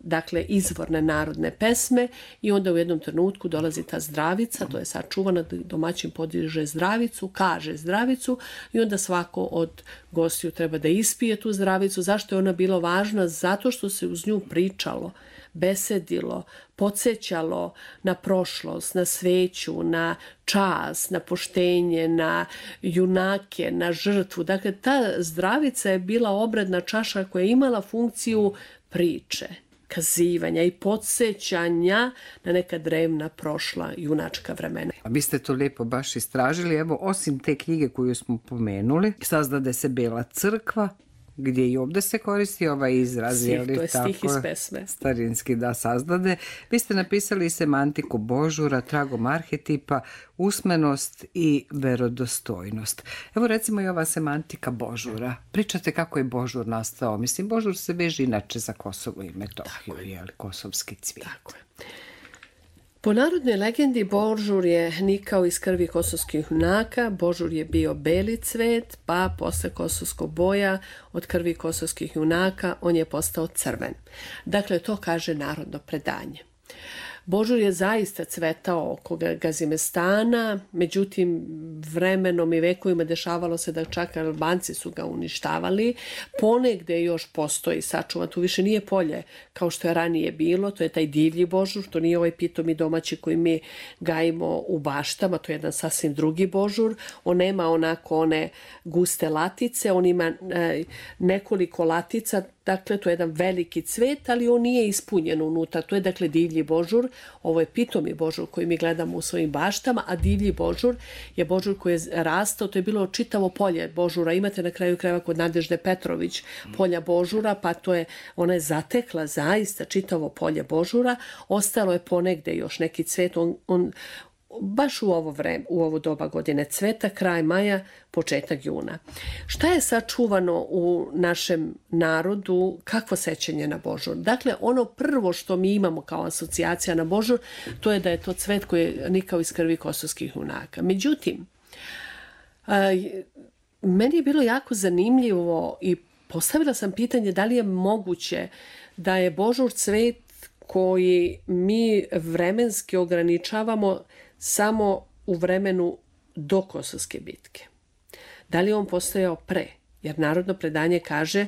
dakle, izvorne narodne pesme i onda u jednom trenutku dolazi ta zdravica, to je sačuvana, domaćin podiže zdravicu, kaže zdravicu i onda svako od gostiju treba da ispije tu zdravicu. Zašto je ona bila važna? Zato što se uz nju pričalo, besedilo, podsjećalo na prošlost, na sveću, na čast, na poštenje, na junake, na žrtvu. Dakle, ta zdravica je bila obredna čaša koja je imala funkciju priče. kazivanja i podsjećanja na neka drevna prošla junačka vremena. A vi ste to lijepo baš istražili. Evo, osim te knjige koju smo pomenuli, sazdade se Bela crkva, gdje i ovdje se koristi ovaj izraz. Stih, to je stih iz pesme. Starinski, da, sazdade. Vi ste napisali i semantiku Božura, tragom arhetipa, usmenost i verodostojnost. Evo recimo i ova semantika Božura. Pričate kako je Božur nastao. Mislim, Božur se veže inače za Kosovo i Metohiju, je li, kosovski cvijet. Tako je. Po narodnoj legendi Božur je nikao iz krvi kosovskih junaka, Božur je bio beli cvet, pa posle kosovskog boja od krvi kosovskih junaka on je postao crven. Dakle, to kaže narodno predanje. Božur je zaista cvetao oko Gazimestana, međutim vremenom i vekovima dešavalo se da čak Albanci su ga uništavali. Ponegde još postoji sačuvan, tu više nije polje kao što je ranije bilo, to je taj divlji Božur, to nije ovaj pitomi domaći koji mi gajimo u baštama, to je jedan sasvim drugi Božur. On nema onako one guste latice, on ima e, nekoliko latica. Dakle, to je jedan veliki cvet, ali on nije ispunjen unutra. To je, dakle, divlji Božur. Ovo je pitomi Božur koji mi gledamo u svojim baštama, a divlji Božur je Božur koji je rastao. To je bilo čitavo polje Božura. Imate na kraju krajeva kod Nadežde Petrović polja Božura, pa to je, ona je zatekla zaista čitavo polje Božura. Ostalo je ponegde još neki cvet. On, on baš u ovo vreme, u ovo doba godine cveta, kraj maja, početak juna. Šta je sačuvano u našem narodu, kakvo sećanje na Božur? Dakle, ono prvo što mi imamo kao asocijacija na Božur, to je da je to cvet koji je nikao iz krvi kosovskih junaka. Međutim, meni je bilo jako zanimljivo i postavila sam pitanje da li je moguće da je Božur cvet koji mi vremenski ograničavamo samo u vremenu do Kosovske bitke. Da li je on postojao pre? Jer narodno predanje kaže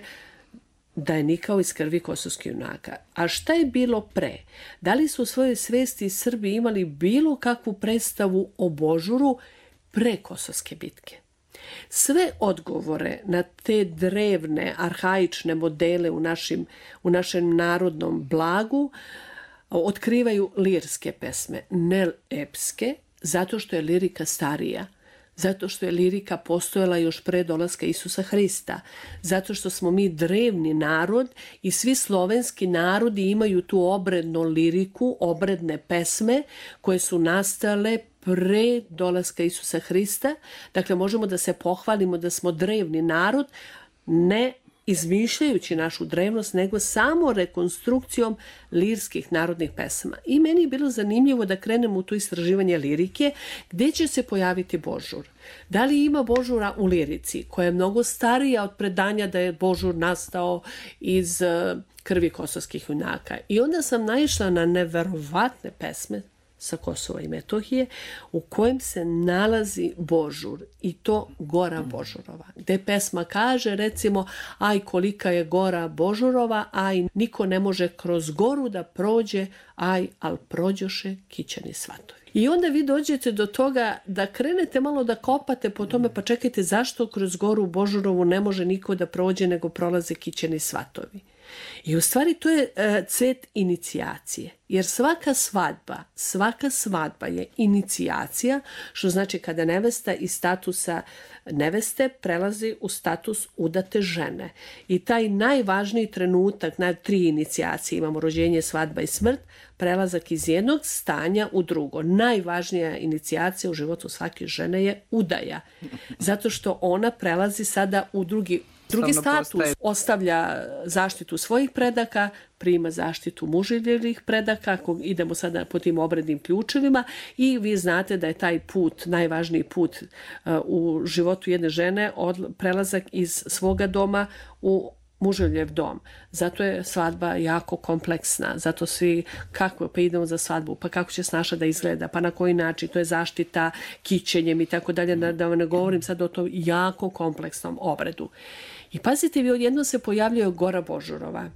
da je nikao iz krvi kosovskih junaka. A šta je bilo pre? Da li su u svojoj svesti Srbi imali bilo kakvu predstavu o Božuru pre Kosovske bitke? Sve odgovore na te drevne, arhaične modele u, našim, u našem narodnom blagu otkrivaju lirske pesme, ne epske, zato što je lirika starija, zato što je lirika postojala još pre dolaska Isusa Hrista, zato što smo mi drevni narod i svi slovenski narodi imaju tu obrednu liriku, obredne pesme koje su nastale pre dolaska Isusa Hrista. Dakle, možemo da se pohvalimo da smo drevni narod, ne izmišljajući našu drevnost, nego samo rekonstrukcijom lirskih narodnih pesama. I meni je bilo zanimljivo da krenemo u to istraživanje lirike, gdje će se pojaviti Božur. Da li ima Božura u lirici, koja je mnogo starija od predanja da je Božur nastao iz krvi kosovskih junaka. I onda sam naišla na neverovatne pesme sa Kosova i Metohije, u kojem se nalazi Božur, i to Gora Božurova, gde pesma kaže, recimo, aj kolika je Gora Božurova, aj niko ne može kroz goru da prođe, aj al prođoše kićeni svatovi. I onda vi dođete do toga da krenete malo da kopate po tome, pa čekajte, zašto kroz Goru Božurovu ne može niko da prođe, nego prolaze kićeni svatovi. I u stvari to je e, cvet inicijacije, jer svaka svadba, svaka svadba je inicijacija, što znači kada nevesta iz statusa neveste prelazi u status udate žene. I taj najvažniji trenutak, na tri inicijacije, imamo rođenje, svadba i smrt, prelazak iz jednog stanja u drugo. Najvažnija inicijacija u životu svake žene je udaja, zato što ona prelazi sada u drugi Drugi status, postaje. Ostavlja zaštitu svojih predaka, prima zaštitu muževljevih predaka, ako idemo sada po tim obrednim ključevima, i vi znate da je taj put, najvažniji put uh, u životu jedne žene, od, prelazak iz svoga doma u muževljev dom. Zato je svadba jako kompleksna, zato svi, kako, pa idemo za svadbu, pa kako će snaša da izgleda, pa na koji način, to je zaštita kićenjem i tako dalje, da vam ne govorim sad o tom jako kompleksnom obredu. I pazite, vi odjedno se pojavljaju Gora Božurova,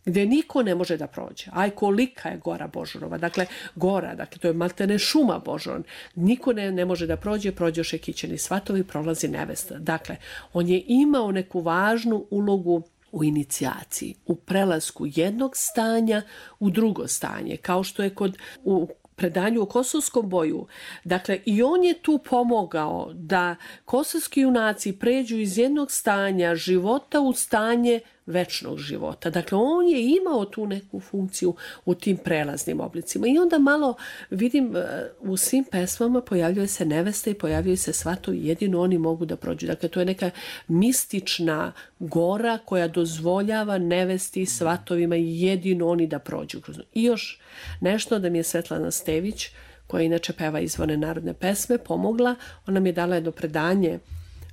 gdje niko ne može da prođe. Aj, kolika je Gora Božurova. Dakle, gora, dakle, to je maltene šuma Božurova. Niko ne, ne može da prođe, prođoše kićeni svatovi, prolazi nevesta. Dakle, on je imao neku važnu ulogu u inicijaciji, u prelasku jednog stanja u drugo stanje, kao što je kod u predanju o kosovskom boju. Dakle, i on je tu pomogao da kosovski junaci pređu iz jednog stanja života u stanje večnog života. Dakle, on je imao tu neku funkciju u tim prelaznim oblicima. I onda malo vidim u svim pesmama pojavljuje se nevesta i pojavljuje se svatovi, jedino oni mogu da prođu. Dakle, to je neka mistična gora koja dozvoljava nevesti i svatovima jedino oni da prođu. I još nešto da mi je Svetlana Stević, koja inače peva izvorne narodne pesme, pomogla. Ona mi je dala jedno predanje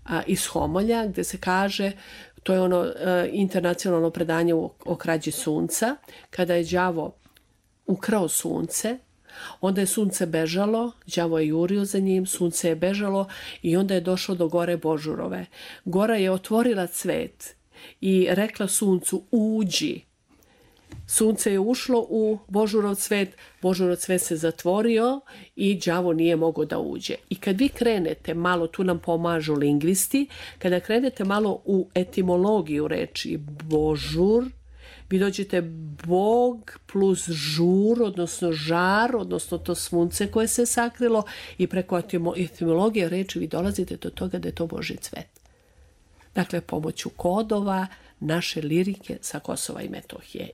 a, iz Homolja gde se kaže, to je ono e, internacionalno predanje o, o krađi sunca, kada je đavo ukrao sunce, onda je sunce bežalo, đavo je jurio za njim, sunce je bežalo i onda je došao do gore Božurove. Gora je otvorila cvet i rekla suncu uđi. Sunce je ušlo u Božurov cvet, Božurov cvet se zatvorio i đavo nije mogao da uđe. I kad vi krenete malo, tu nam pomažu lingvisti, kada krenete malo u etimologiju reči Božur, vi dođete Bog plus žur, odnosno žar, odnosno to sunce koje se sakrilo i preko etimologije reči vi dolazite do toga da je to Božji cvet. Dakle, pomoću kodova naše lirike sa Kosova i Metohije.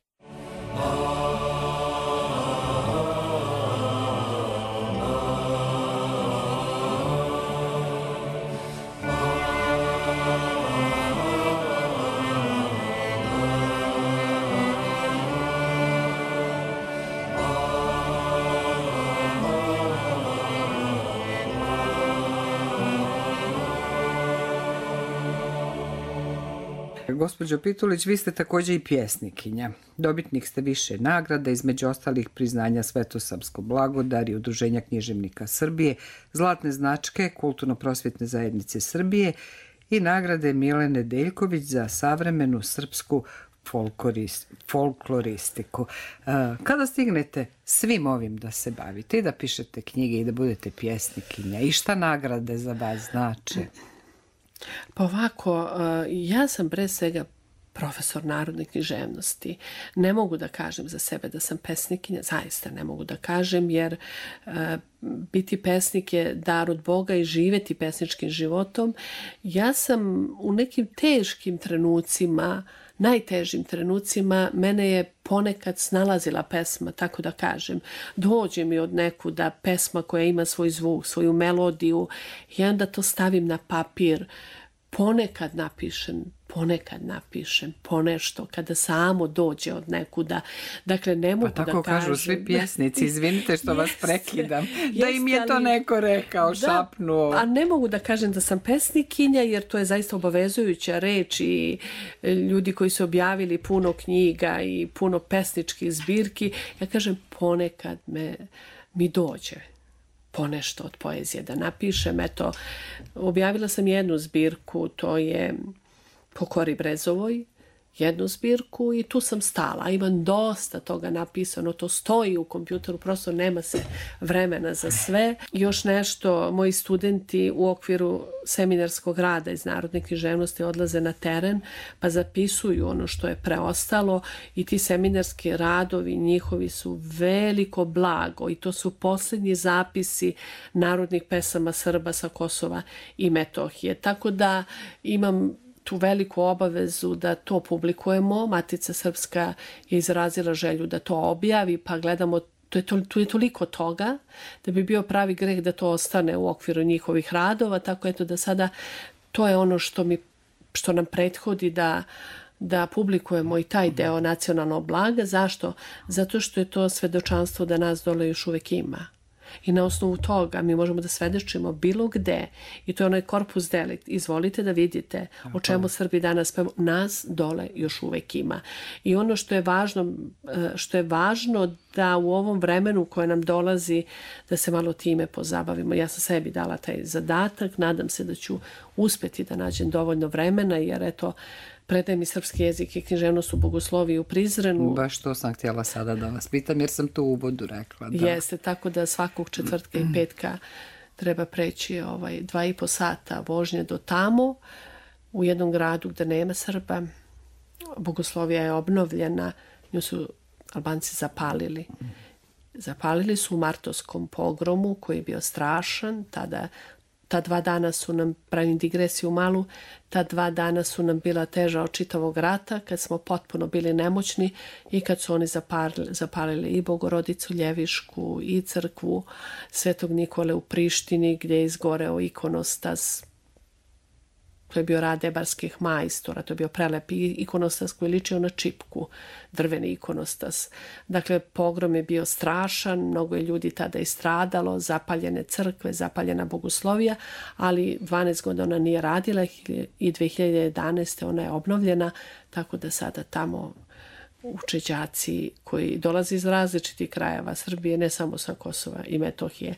Gospođo Pitulić, vi ste također i pjesnikinja. Dobitnik ste više nagrada, između ostalih priznanja Svetosavsko blagodar i Udruženja književnika Srbije, zlatne značke Kulturno-prosvjetne zajednice Srbije i nagrade Milene Deljković za savremenu srpsku folkloristiku. Kada stignete svim ovim da se bavite i da pišete knjige i da budete pjesnikinja i šta nagrade za vas znači? Pa ovako, ja sam pre svega profesor narodne književnosti. Ne mogu da kažem za sebe da sam pesnikinja, zaista ne mogu da kažem, jer biti pesnik je dar od Boga i živeti pesničkim životom. Ja sam u nekim teškim trenucima, najtežim trenucima, mene je ponekad snalazila pesma, tako da kažem. Dođe mi od nekuda pesma koja ima svoj zvuk, svoju melodiju i onda to stavim na papir. Ponekad napišem, ponekad napišem, ponešto, kada samo dođe od nekuda. Dakle, ne mogu da kažem... Pa tako kažu svi pjesnici, izvinite što vas prekidam, da im je to neko rekao, šapnuo. A ne mogu da kažem da sam pesnikinja, jer to je zaista obavezujuća reč i ljudi koji su objavili puno knjiga i puno pesničkih zbirki. Ja kažem, ponekad me, mi dođe ponešto od poezije da napišem. Eto, objavila sam jednu zbirku, to je Po Kori Brezovoj, jednu zbirku i tu sam stala. Imam dosta toga napisano, to stoji u kompjuteru, prosto nema se vremena za sve. Još nešto, moji studenti u okviru seminarskog rada iz narodne književnosti odlaze na teren pa zapisuju ono što je preostalo i ti seminarski radovi njihovi su veliko blago i to su posljednji zapisi narodnih pesama Srba sa Kosova i Metohije. Tako da imam tu veliku obavezu da to publikujemo. Matica Srpska je izrazila želju da to objavi, pa gledamo, to je to, tu je toliko toga da bi bio pravi greh da to ostane u okviru njihovih radova, tako eto da sada to je ono što, mi, što nam prethodi da, da publikujemo i taj deo nacionalnog blaga. Zašto? Zato što je to svedočanstvo da nas dole još uvek ima. I na osnovu toga mi možemo da svedočimo bilo gde i to je onaj korpus delikt. Izvolite da vidite o čemu Srbi danas pevaju. Nas dole još uvek ima. I ono što je važno, što je važno da u ovom vremenu koje nam dolazi da se malo time pozabavimo. Ja sam sebi dala taj zadatak, nadam se da ću uspeti da nađem dovoljno vremena jer eto predajem i srpski jezik i književnost u Bogosloviji u Prizrenu. Baš to sam htjela sada da vas pitam jer sam to u uvodu rekla. Da. Jeste, tako da svakog četvrtka i petka treba preći ovaj, dva i po sata vožnje do tamo u jednom gradu gde nema Srba. bogoslovija je obnovljena, nju su Albanci zapalili. Zapalili su u martovskom pogromu koji je bio strašan, tada ta dva dana su nam, pravim digresiju malu, ta dva dana su nam bila teža od čitavog rata, kad smo potpuno bili nemoćni i kad su oni zapalili, zapalili i Bogorodicu Ljevišku i crkvu Svetog Nikole u Prištini, gdje je izgoreo ikonostas. To je bio rad ebarskih majstora, to je bio prelep ikonostas koji je ličio na čipku, drveni ikonostas. Dakle, pogrom je bio strašan, mnogo je ljudi tada istradalo, zapaljene crkve, zapaljena bogoslovija, ali dvanaest godina ona nije radila i dve hiljade jedanaeste ona je obnovljena, tako da sada tamo uče đaci koji dolaze iz različitih krajeva Srbije, ne samo sa Kosova i Metohije.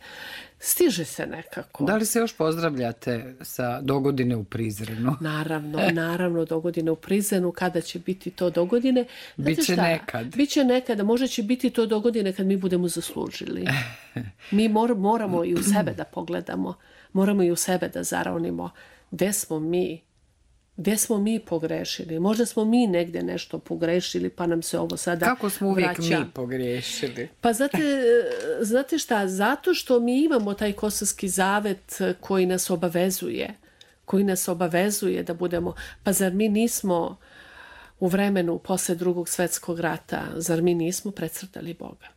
Stiže se nekako. Da li se još pozdravljate sa dogodine u Prizrenu? Naravno, naravno, dogodine u Prizrenu. Kada će biti to dogodine? Biće nekad. Biće nekada, možda će biti to dogodine kad mi budemo zaslužili. Mi mor, moramo i u sebe da pogledamo. Moramo i u sebe da zaravnimo. Gde smo mi? Gde smo mi pogrešili? Možda smo mi negde nešto pogrešili, pa nam se ovo sada vraća. Kako smo uvijek vraća. mi pogrešili? Pa znate, znate šta? Zato što mi imamo taj Kosovski zavet koji nas obavezuje. Koji nas obavezuje da budemo... Pa zar mi nismo u vremenu posle drugog svjetskog rata, zar mi nismo precrtali Boga?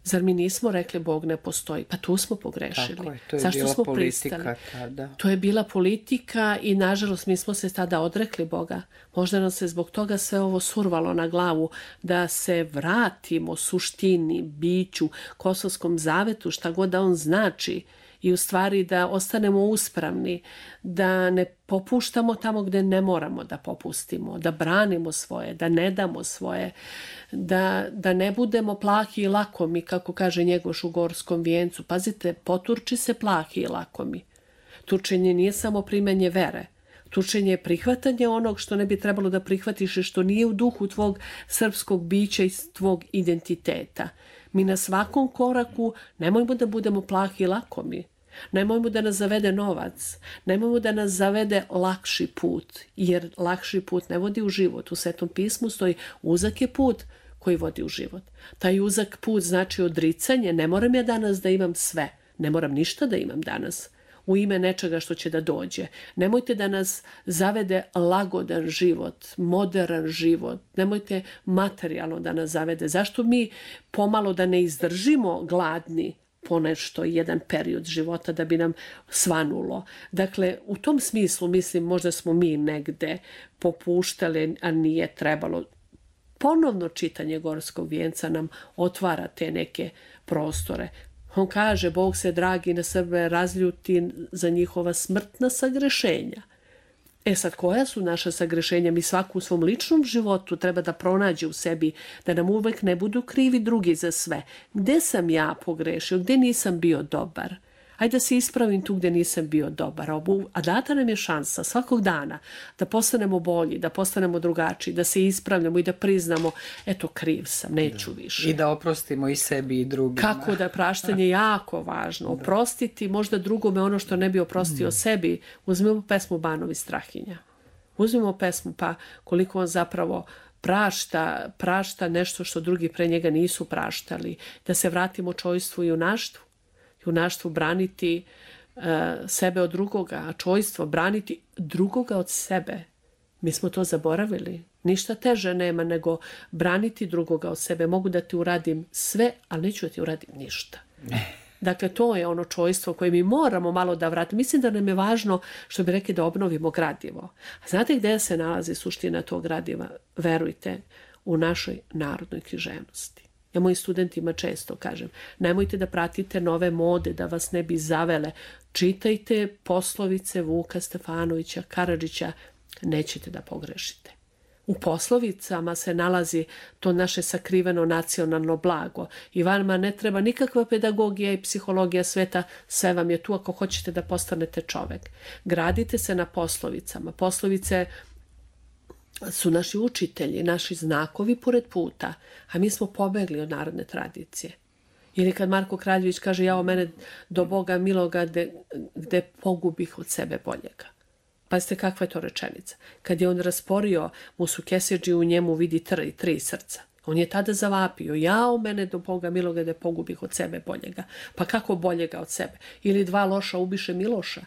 Zar mi nismo rekli Bog ne postoji? Pa tu smo pogrešili. Tako je, to je Zašto bila smo politika pristali? tada. To je bila politika i nažalost mi smo se tada odrekli Boga. Možda nam se zbog toga sve ovo survalo na glavu da se vratimo suštini, biću, Kosovskom zavetu, šta god da on znači i u stvari da ostanemo uspravni, da ne popuštamo tamo gdje ne moramo da popustimo, da branimo svoje, da ne damo svoje, da, da ne budemo plahi i lakomi, kako kaže Njegoš u Gorskom vijencu. Pazite, poturči se plahi i lakomi. Turčenje nije samo primanje vere. Turčenje je prihvatanje onog što ne bi trebalo da prihvatiš i što nije u duhu tvog srpskog bića i tvog identiteta. Mi na svakom koraku nemojmo da budemo plahi i lakomi. Nemojmo da nas zavede novac, nemojmo da nas zavede lakši put, jer lakši put ne vodi u život. U Svetom pismu stoji uzak je put koji vodi u život. Taj uzak put znači odricanje, ne moram ja danas da imam sve, ne moram ništa da imam danas u ime nečega što će da dođe. Nemojte da nas zavede lagodan život, modern život, nemojte materijalno da nas zavede. Zašto mi pomalo da ne izdržimo gladni ponešto jedan period života da bi nam svanulo. Dakle, u tom smislu mislim možda smo mi negde popuštali, a nije trebalo. Ponovno čitanje Gorskog vijenca nam otvara te neke prostore. On kaže, Bog se dragi na Srbe razljuti za njihova smrtna sagrešenja. E sad, koja su naša sagrešenja? Mi svaku u svom ličnom životu treba da pronađe u sebi, da nam uvek ne budu krivi drugi za sve. Gde sam ja pogrešio? Gde nisam bio dobar? Ajde da se ispravim tu gde nisam bio dobar. A data nam je šansa svakog dana da postanemo bolji, da postanemo drugačiji, da se ispravljamo i da priznamo, eto, kriv sam, neću više. I da oprostimo i sebi i drugima. Kako da praštanje je jako važno. Oprostiti možda drugome ono što ne bi oprostio mm. sebi. Uzmimo pesmu Banovi Strahinja. Uzmimo pesmu, pa koliko on zapravo prašta, prašta nešto što drugi pre njega nisu praštali. Da se vratimo čojstvu i junaštvu. Junaštvu braniti uh, sebe od drugoga, a čojstvo braniti drugoga od sebe. Mi smo to zaboravili. Ništa teže nema nego braniti drugoga od sebe. Mogu da ti uradim sve, ali neću da ti uradim ništa. Dakle, to je ono čojstvo koje mi moramo malo da vratimo. Mislim da nam je važno, što bi rekli, da obnovimo gradivo. A znate gde se nalazi suština tog gradiva? Verujte, u našoj narodnoj književnosti. Ja mojim studentima često kažem, nemojte da pratite nove mode, da vas ne bi zavele. Čitajte poslovice Vuka Stefanovića, Karadžića, nećete da pogrešite. U poslovicama se nalazi to naše sakriveno nacionalno blago. I vama ne treba nikakva pedagogija i psihologija sveta, sve vam je tu ako hoćete da postanete čovek. Gradite se na poslovicama. Poslovice su naši učitelji, naši znakovi pored puta, a mi smo pobegli od narodne tradicije. Ili kad Marko Kraljević kaže, jao mene do Boga miloga gde, gde pogubih od sebe boljega. Pazite kakva je to rečenica. Kad je on rasporio Musu Keseđi, u njemu vidi tri, tri srca. On je tada zavapio, ja u mene do Boga miloga da pogubih od sebe boljega. Pa kako boljega od sebe? Ili dva loša ubiše Miloša.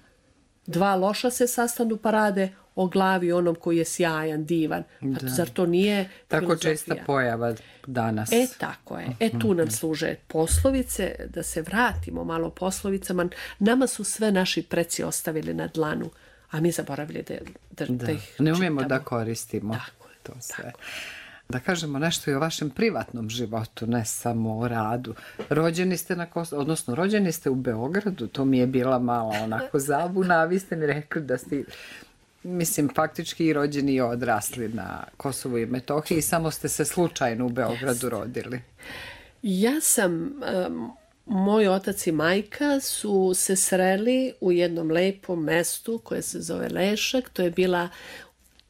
Dva loša se sastanu pa rade o glavi onom koji je sjajan, divan. Da. Zar to nije tako filozofija? Česta pojava danas. E, tako je. E, tu nam služe poslovice, da se vratimo malo poslovicama. Nama su sve naši preci ostavili na dlanu, a mi zaboravili da, da, da. da ih ne umijemo čitamo. Da koristimo tako je, to sve. Tako. Da kažemo nešto i o vašem privatnom životu, ne samo o radu. Rođeni ste na Kosovu, odnosno rođeni ste u Beogradu, to mi je bila mala onako zabuna, a vi ste mi rekli da ste, mislim, faktički i rođeni i odrasli na Kosovu i Metohiji, samo ste se slučajno u Beogradu rodili. Ja sam, um, moj otac i majka su se sreli u jednom lepom mestu koje se zove Lešak, to je bila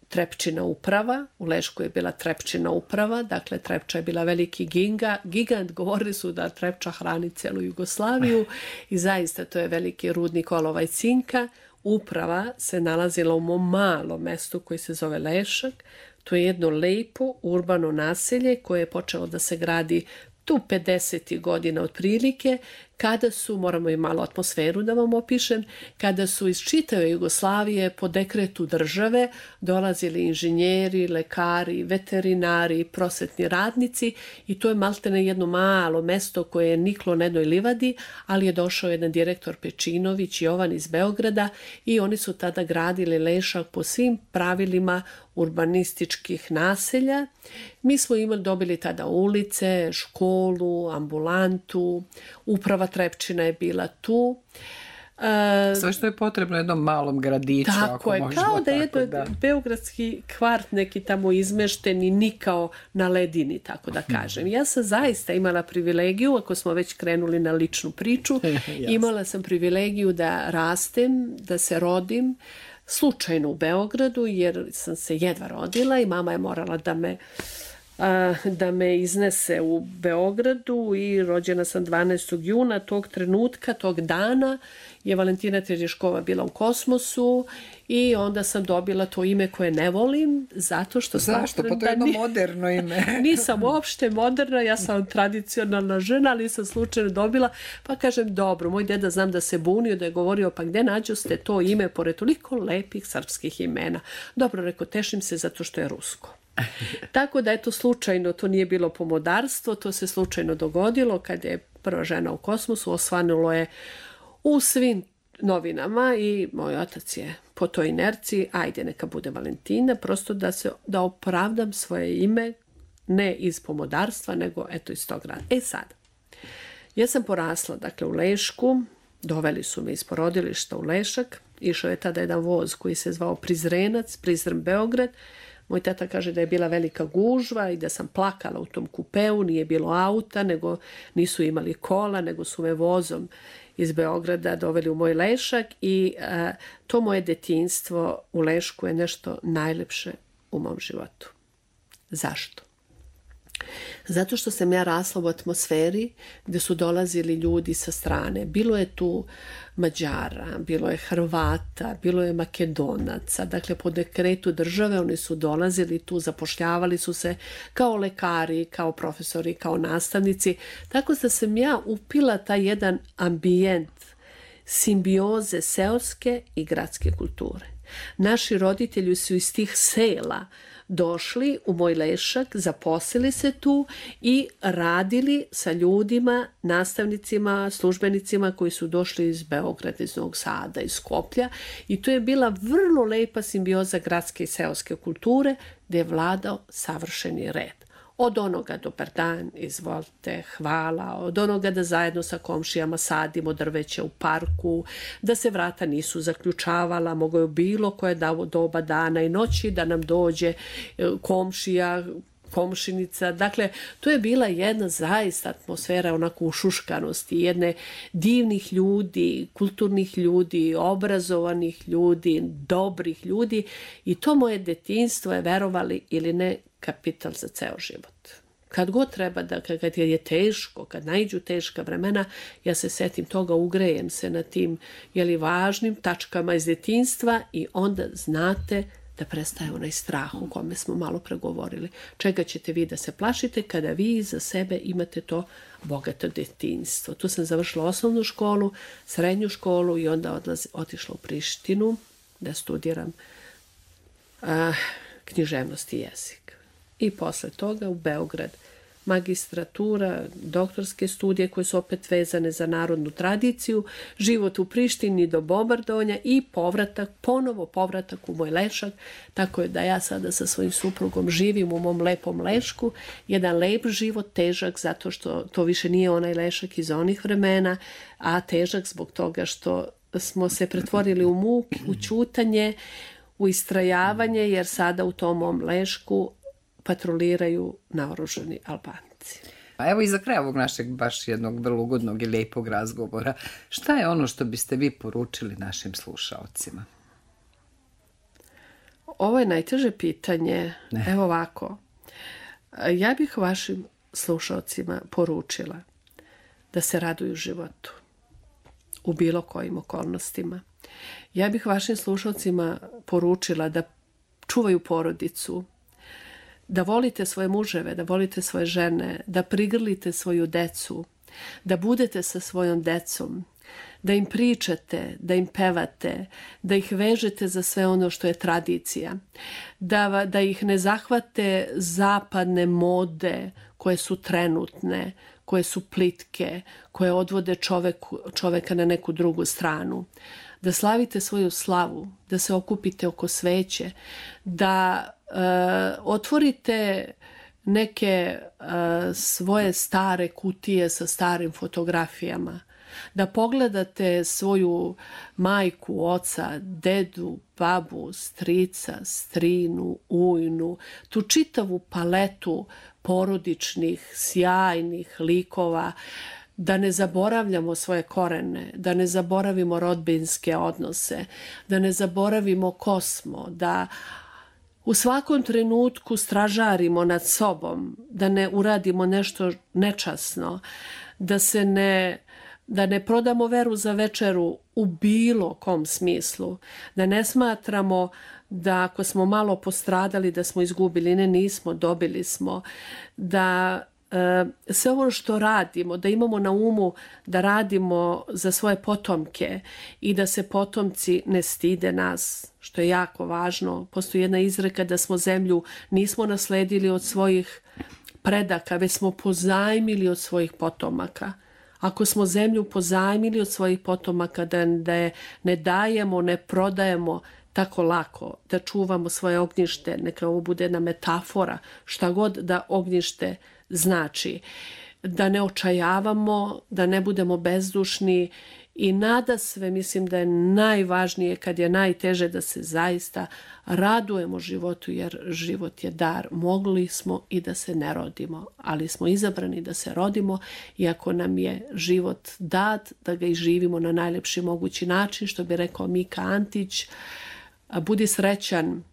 Trepčina uprava, u Lešku je bila Trepčina uprava, dakle Trepča je bila veliki ginga, gigant, govorili su da Trepča hrani celu Jugoslaviju i zaista to je veliki rudnik olova i cinka. Uprava se nalazila u mom malom mestu koji se zove Lešak, to je jedno lepo urbano naselje koje je počelo da se gradi tu pedesetih godina otprilike, kada su, moramo i malo atmosferu da vam opišem, kada su iz čitave Jugoslavije po dekretu države dolazili inženjeri, lekari, veterinari, prosvetni radnici i to je maltene jedno malo mesto koje je niklo na jednoj livadi, ali je došao jedan direktor Pečinović, Jovan iz Beograda i oni su tada gradili Lešak po svim pravilima urbanističkih naselja. Mi smo imali, dobili tada ulice, školu, ambulantu, uprava Trepčina je bila tu. E, Sve što je potrebno jednom malom gradiću. Tako ako je, možemo, kao da je tako, jedno da. beogradski kvart neki tamo izmešteni, nikao na ledini, tako da kažem. Ja sam zaista imala privilegiju, ako smo već krenuli na ličnu priču, imala sam privilegiju da rastem, da se rodim, slučajno u Beogradu, jer sam se jedva rodila i mama je morala da me da me iznese u Beogradu i rođena sam dvanaestog juna. Tog trenutka, tog dana je Valentina Teržeškova bila u kosmosu i onda sam dobila to ime koje ne volim, zato što Zašto? Pa to je jedno moderno ime. Nisam uopšte moderna, ja sam tradicionalna žena, ali sam slučajno dobila, pa kažem dobro, moj deda znam da se bunio, da je govorio pa gde nađu ste to ime pored toliko lepih srpskih imena. Dobro, rekao, tešim se zato što je rusko. Tako da eto slučajno, to nije bilo pomodarstvo, to se slučajno dogodilo kad je prva žena u kosmosu, osvanulo je u svim novinama i moj otac je po toj inerciji, ajde neka bude Valentina, prosto da se da opravdam svoje ime, ne iz pomodarstva, nego eto iz tog rada. E sad, ja sam porasla dakle u Lešku, doveli su me iz porodilišta u Lešak, išao je tada jedan voz koji se zvao Prizrenac, Prizren Beograd. Moj tata kaže da je bila velika gužva i da sam plakala u tom kupeu, nije bilo auta, nego nisu imali kola, nego su me vozom iz Beograda doveli u moj Lešak i a, to moje detinjstvo u Lešku je nešto najlepše u mom životu. Zašto? Zato što sam ja rasla u atmosferi gdje su dolazili ljudi sa strane. Bilo je tu Mađara, bilo je Hrvata, bilo je Makedonaca. Dakle, po dekretu države oni su dolazili tu, zapošljavali su se kao lekari, kao profesori, kao nastavnici. Tako da sam ja upila taj jedan ambijent simbioze seoske i gradske kulture. Naši roditelji su iz tih sela došli u moj Lešak, zaposlili se tu i radili sa ljudima, nastavnicima, službenicima koji su došli iz Beograda, iz Novog Sada, iz Skoplja i to je bila vrlo lepa simbioza gradske i seoske kulture gdje je vladao savršeni red. Od onoga dobar dan, izvolite, hvala, od onoga da zajedno sa komšijama sadimo drveće u parku, da se vrata nisu zaključavala, mogo je bilo koje doba dana i noći da nam dođe komšija, komšinica. Dakle, to je bila jedna zaista atmosfera onako ušuškanosti, jedne divnih ljudi, kulturnih ljudi, obrazovanih ljudi, dobrih ljudi i to moje detinjstvo je, verovali ili ne, kapital za ceo život. kad god treba, da kad je teško, kad naiđu teška vremena, ja se setim toga, ugrejem se na tim jeli, važnim tačkama iz djetinjstva i onda znate da prestaje onaj strah o kome smo malo pregovorili. Čega ćete vi da se plašite kada vi za sebe imate to bogato djetinjstvo. Tu sam završila osnovnu školu, srednju školu i onda odlazi, otišla u Prištinu da studiram a, književnost i jezik. I posle toga u Beograd magistratura, doktorske studije koje su opet vezane za narodnu tradiciju, život u Prištini do bombardovanja i povratak, ponovo povratak u moj Lešak, tako je da ja sada sa svojim suprugom živim u mom lepom Lešku, jedan lep život, težak zato što to više nije onaj Lešak iz onih vremena, a težak zbog toga što smo se pretvorili u muk, u ćutanje, u istrajavanje, jer sada u tom mom Lešku patroliraju naoružani Albanci. A evo i za kraj ovog našeg baš jednog vrlo ugodnog i lijepog razgovora, šta je ono što biste vi poručili našim slušaocima? Ovo je najteže pitanje. Ne. Evo ovako. Ja bih vašim slušaocima poručila da se raduju životu u bilo kojim okolnostima. Ja bih vašim slušaocima poručila da čuvaju porodicu, da volite svoje muževe, da volite svoje žene, da prigrlite svoju decu, da budete sa svojom decom, da im pričate, da im pevate, da ih vežete za sve ono što je tradicija, da, da ih ne zahvate zapadne mode koje su trenutne, koje su plitke, koje odvode čoveku, čoveka na neku drugu stranu. Da slavite svoju slavu, da se okupite oko sveće, da uh, otvorite neke uh, svoje stare kutije sa starim fotografijama, da pogledate svoju majku, oca, dedu, babu, strica, strinu, ujnu, tu čitavu paletu porodičnih, sjajnih likova, da ne zaboravljamo svoje korene, da ne zaboravimo rodbinske odnose, da ne zaboravimo ko smo, da u svakom trenutku stražarimo nad sobom, da ne uradimo nešto nečasno, da se ne, da ne prodamo veru za večeru u bilo kom smislu, da ne smatramo da ako smo malo postradali da smo izgubili, ne, nismo, dobili smo, da sve ovo što radimo, da imamo na umu da radimo za svoje potomke i da se potomci ne stide nas, što je jako važno. Postoji jedna izreka da smo zemlju nismo nasledili od svojih predaka, već smo pozajmili od svojih potomaka. Ako smo zemlju pozajmili od svojih potomaka, da, da je ne dajemo, ne prodajemo tako lako, da čuvamo svoje ognjište, neka ovo bude jedna metafora, šta god da ognjište znači, da ne očajavamo, da ne budemo bezdušni i nadasve mislim da je najvažnije kad je najteže da se zaista radujemo životu, jer život je dar. Mogli smo i da se ne rodimo, ali smo izabrani da se rodimo i ako nam je život dat, da ga i živimo na najlepši mogući način, što bi rekao Mika Antić, budi srećan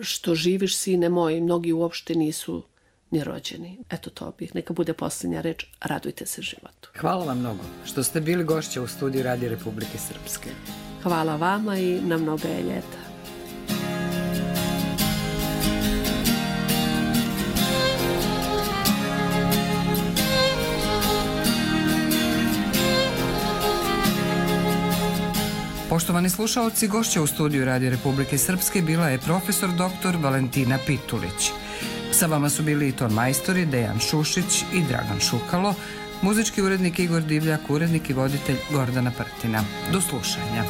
što živiš, sine moj, mnogi uopšte nisu ni rođeni. Eto to bih, neka bude posljednja reč, radujte se životu. Hvala vam mnogo što ste bili gošća u studiju Radio Republike Srpske. Hvala vama i na mnogo je ljeta. Poštovani slušaoci, gošća u studiju Radio Republike Srpske bila je profesor doktor Valentina Pitulić. Sa vama su bili i ton majstori Dejan Šušić i Dragan Šukalo, muzički urednik Igor Divljak, urednik i voditelj Gordana Prtina. Do slušanja.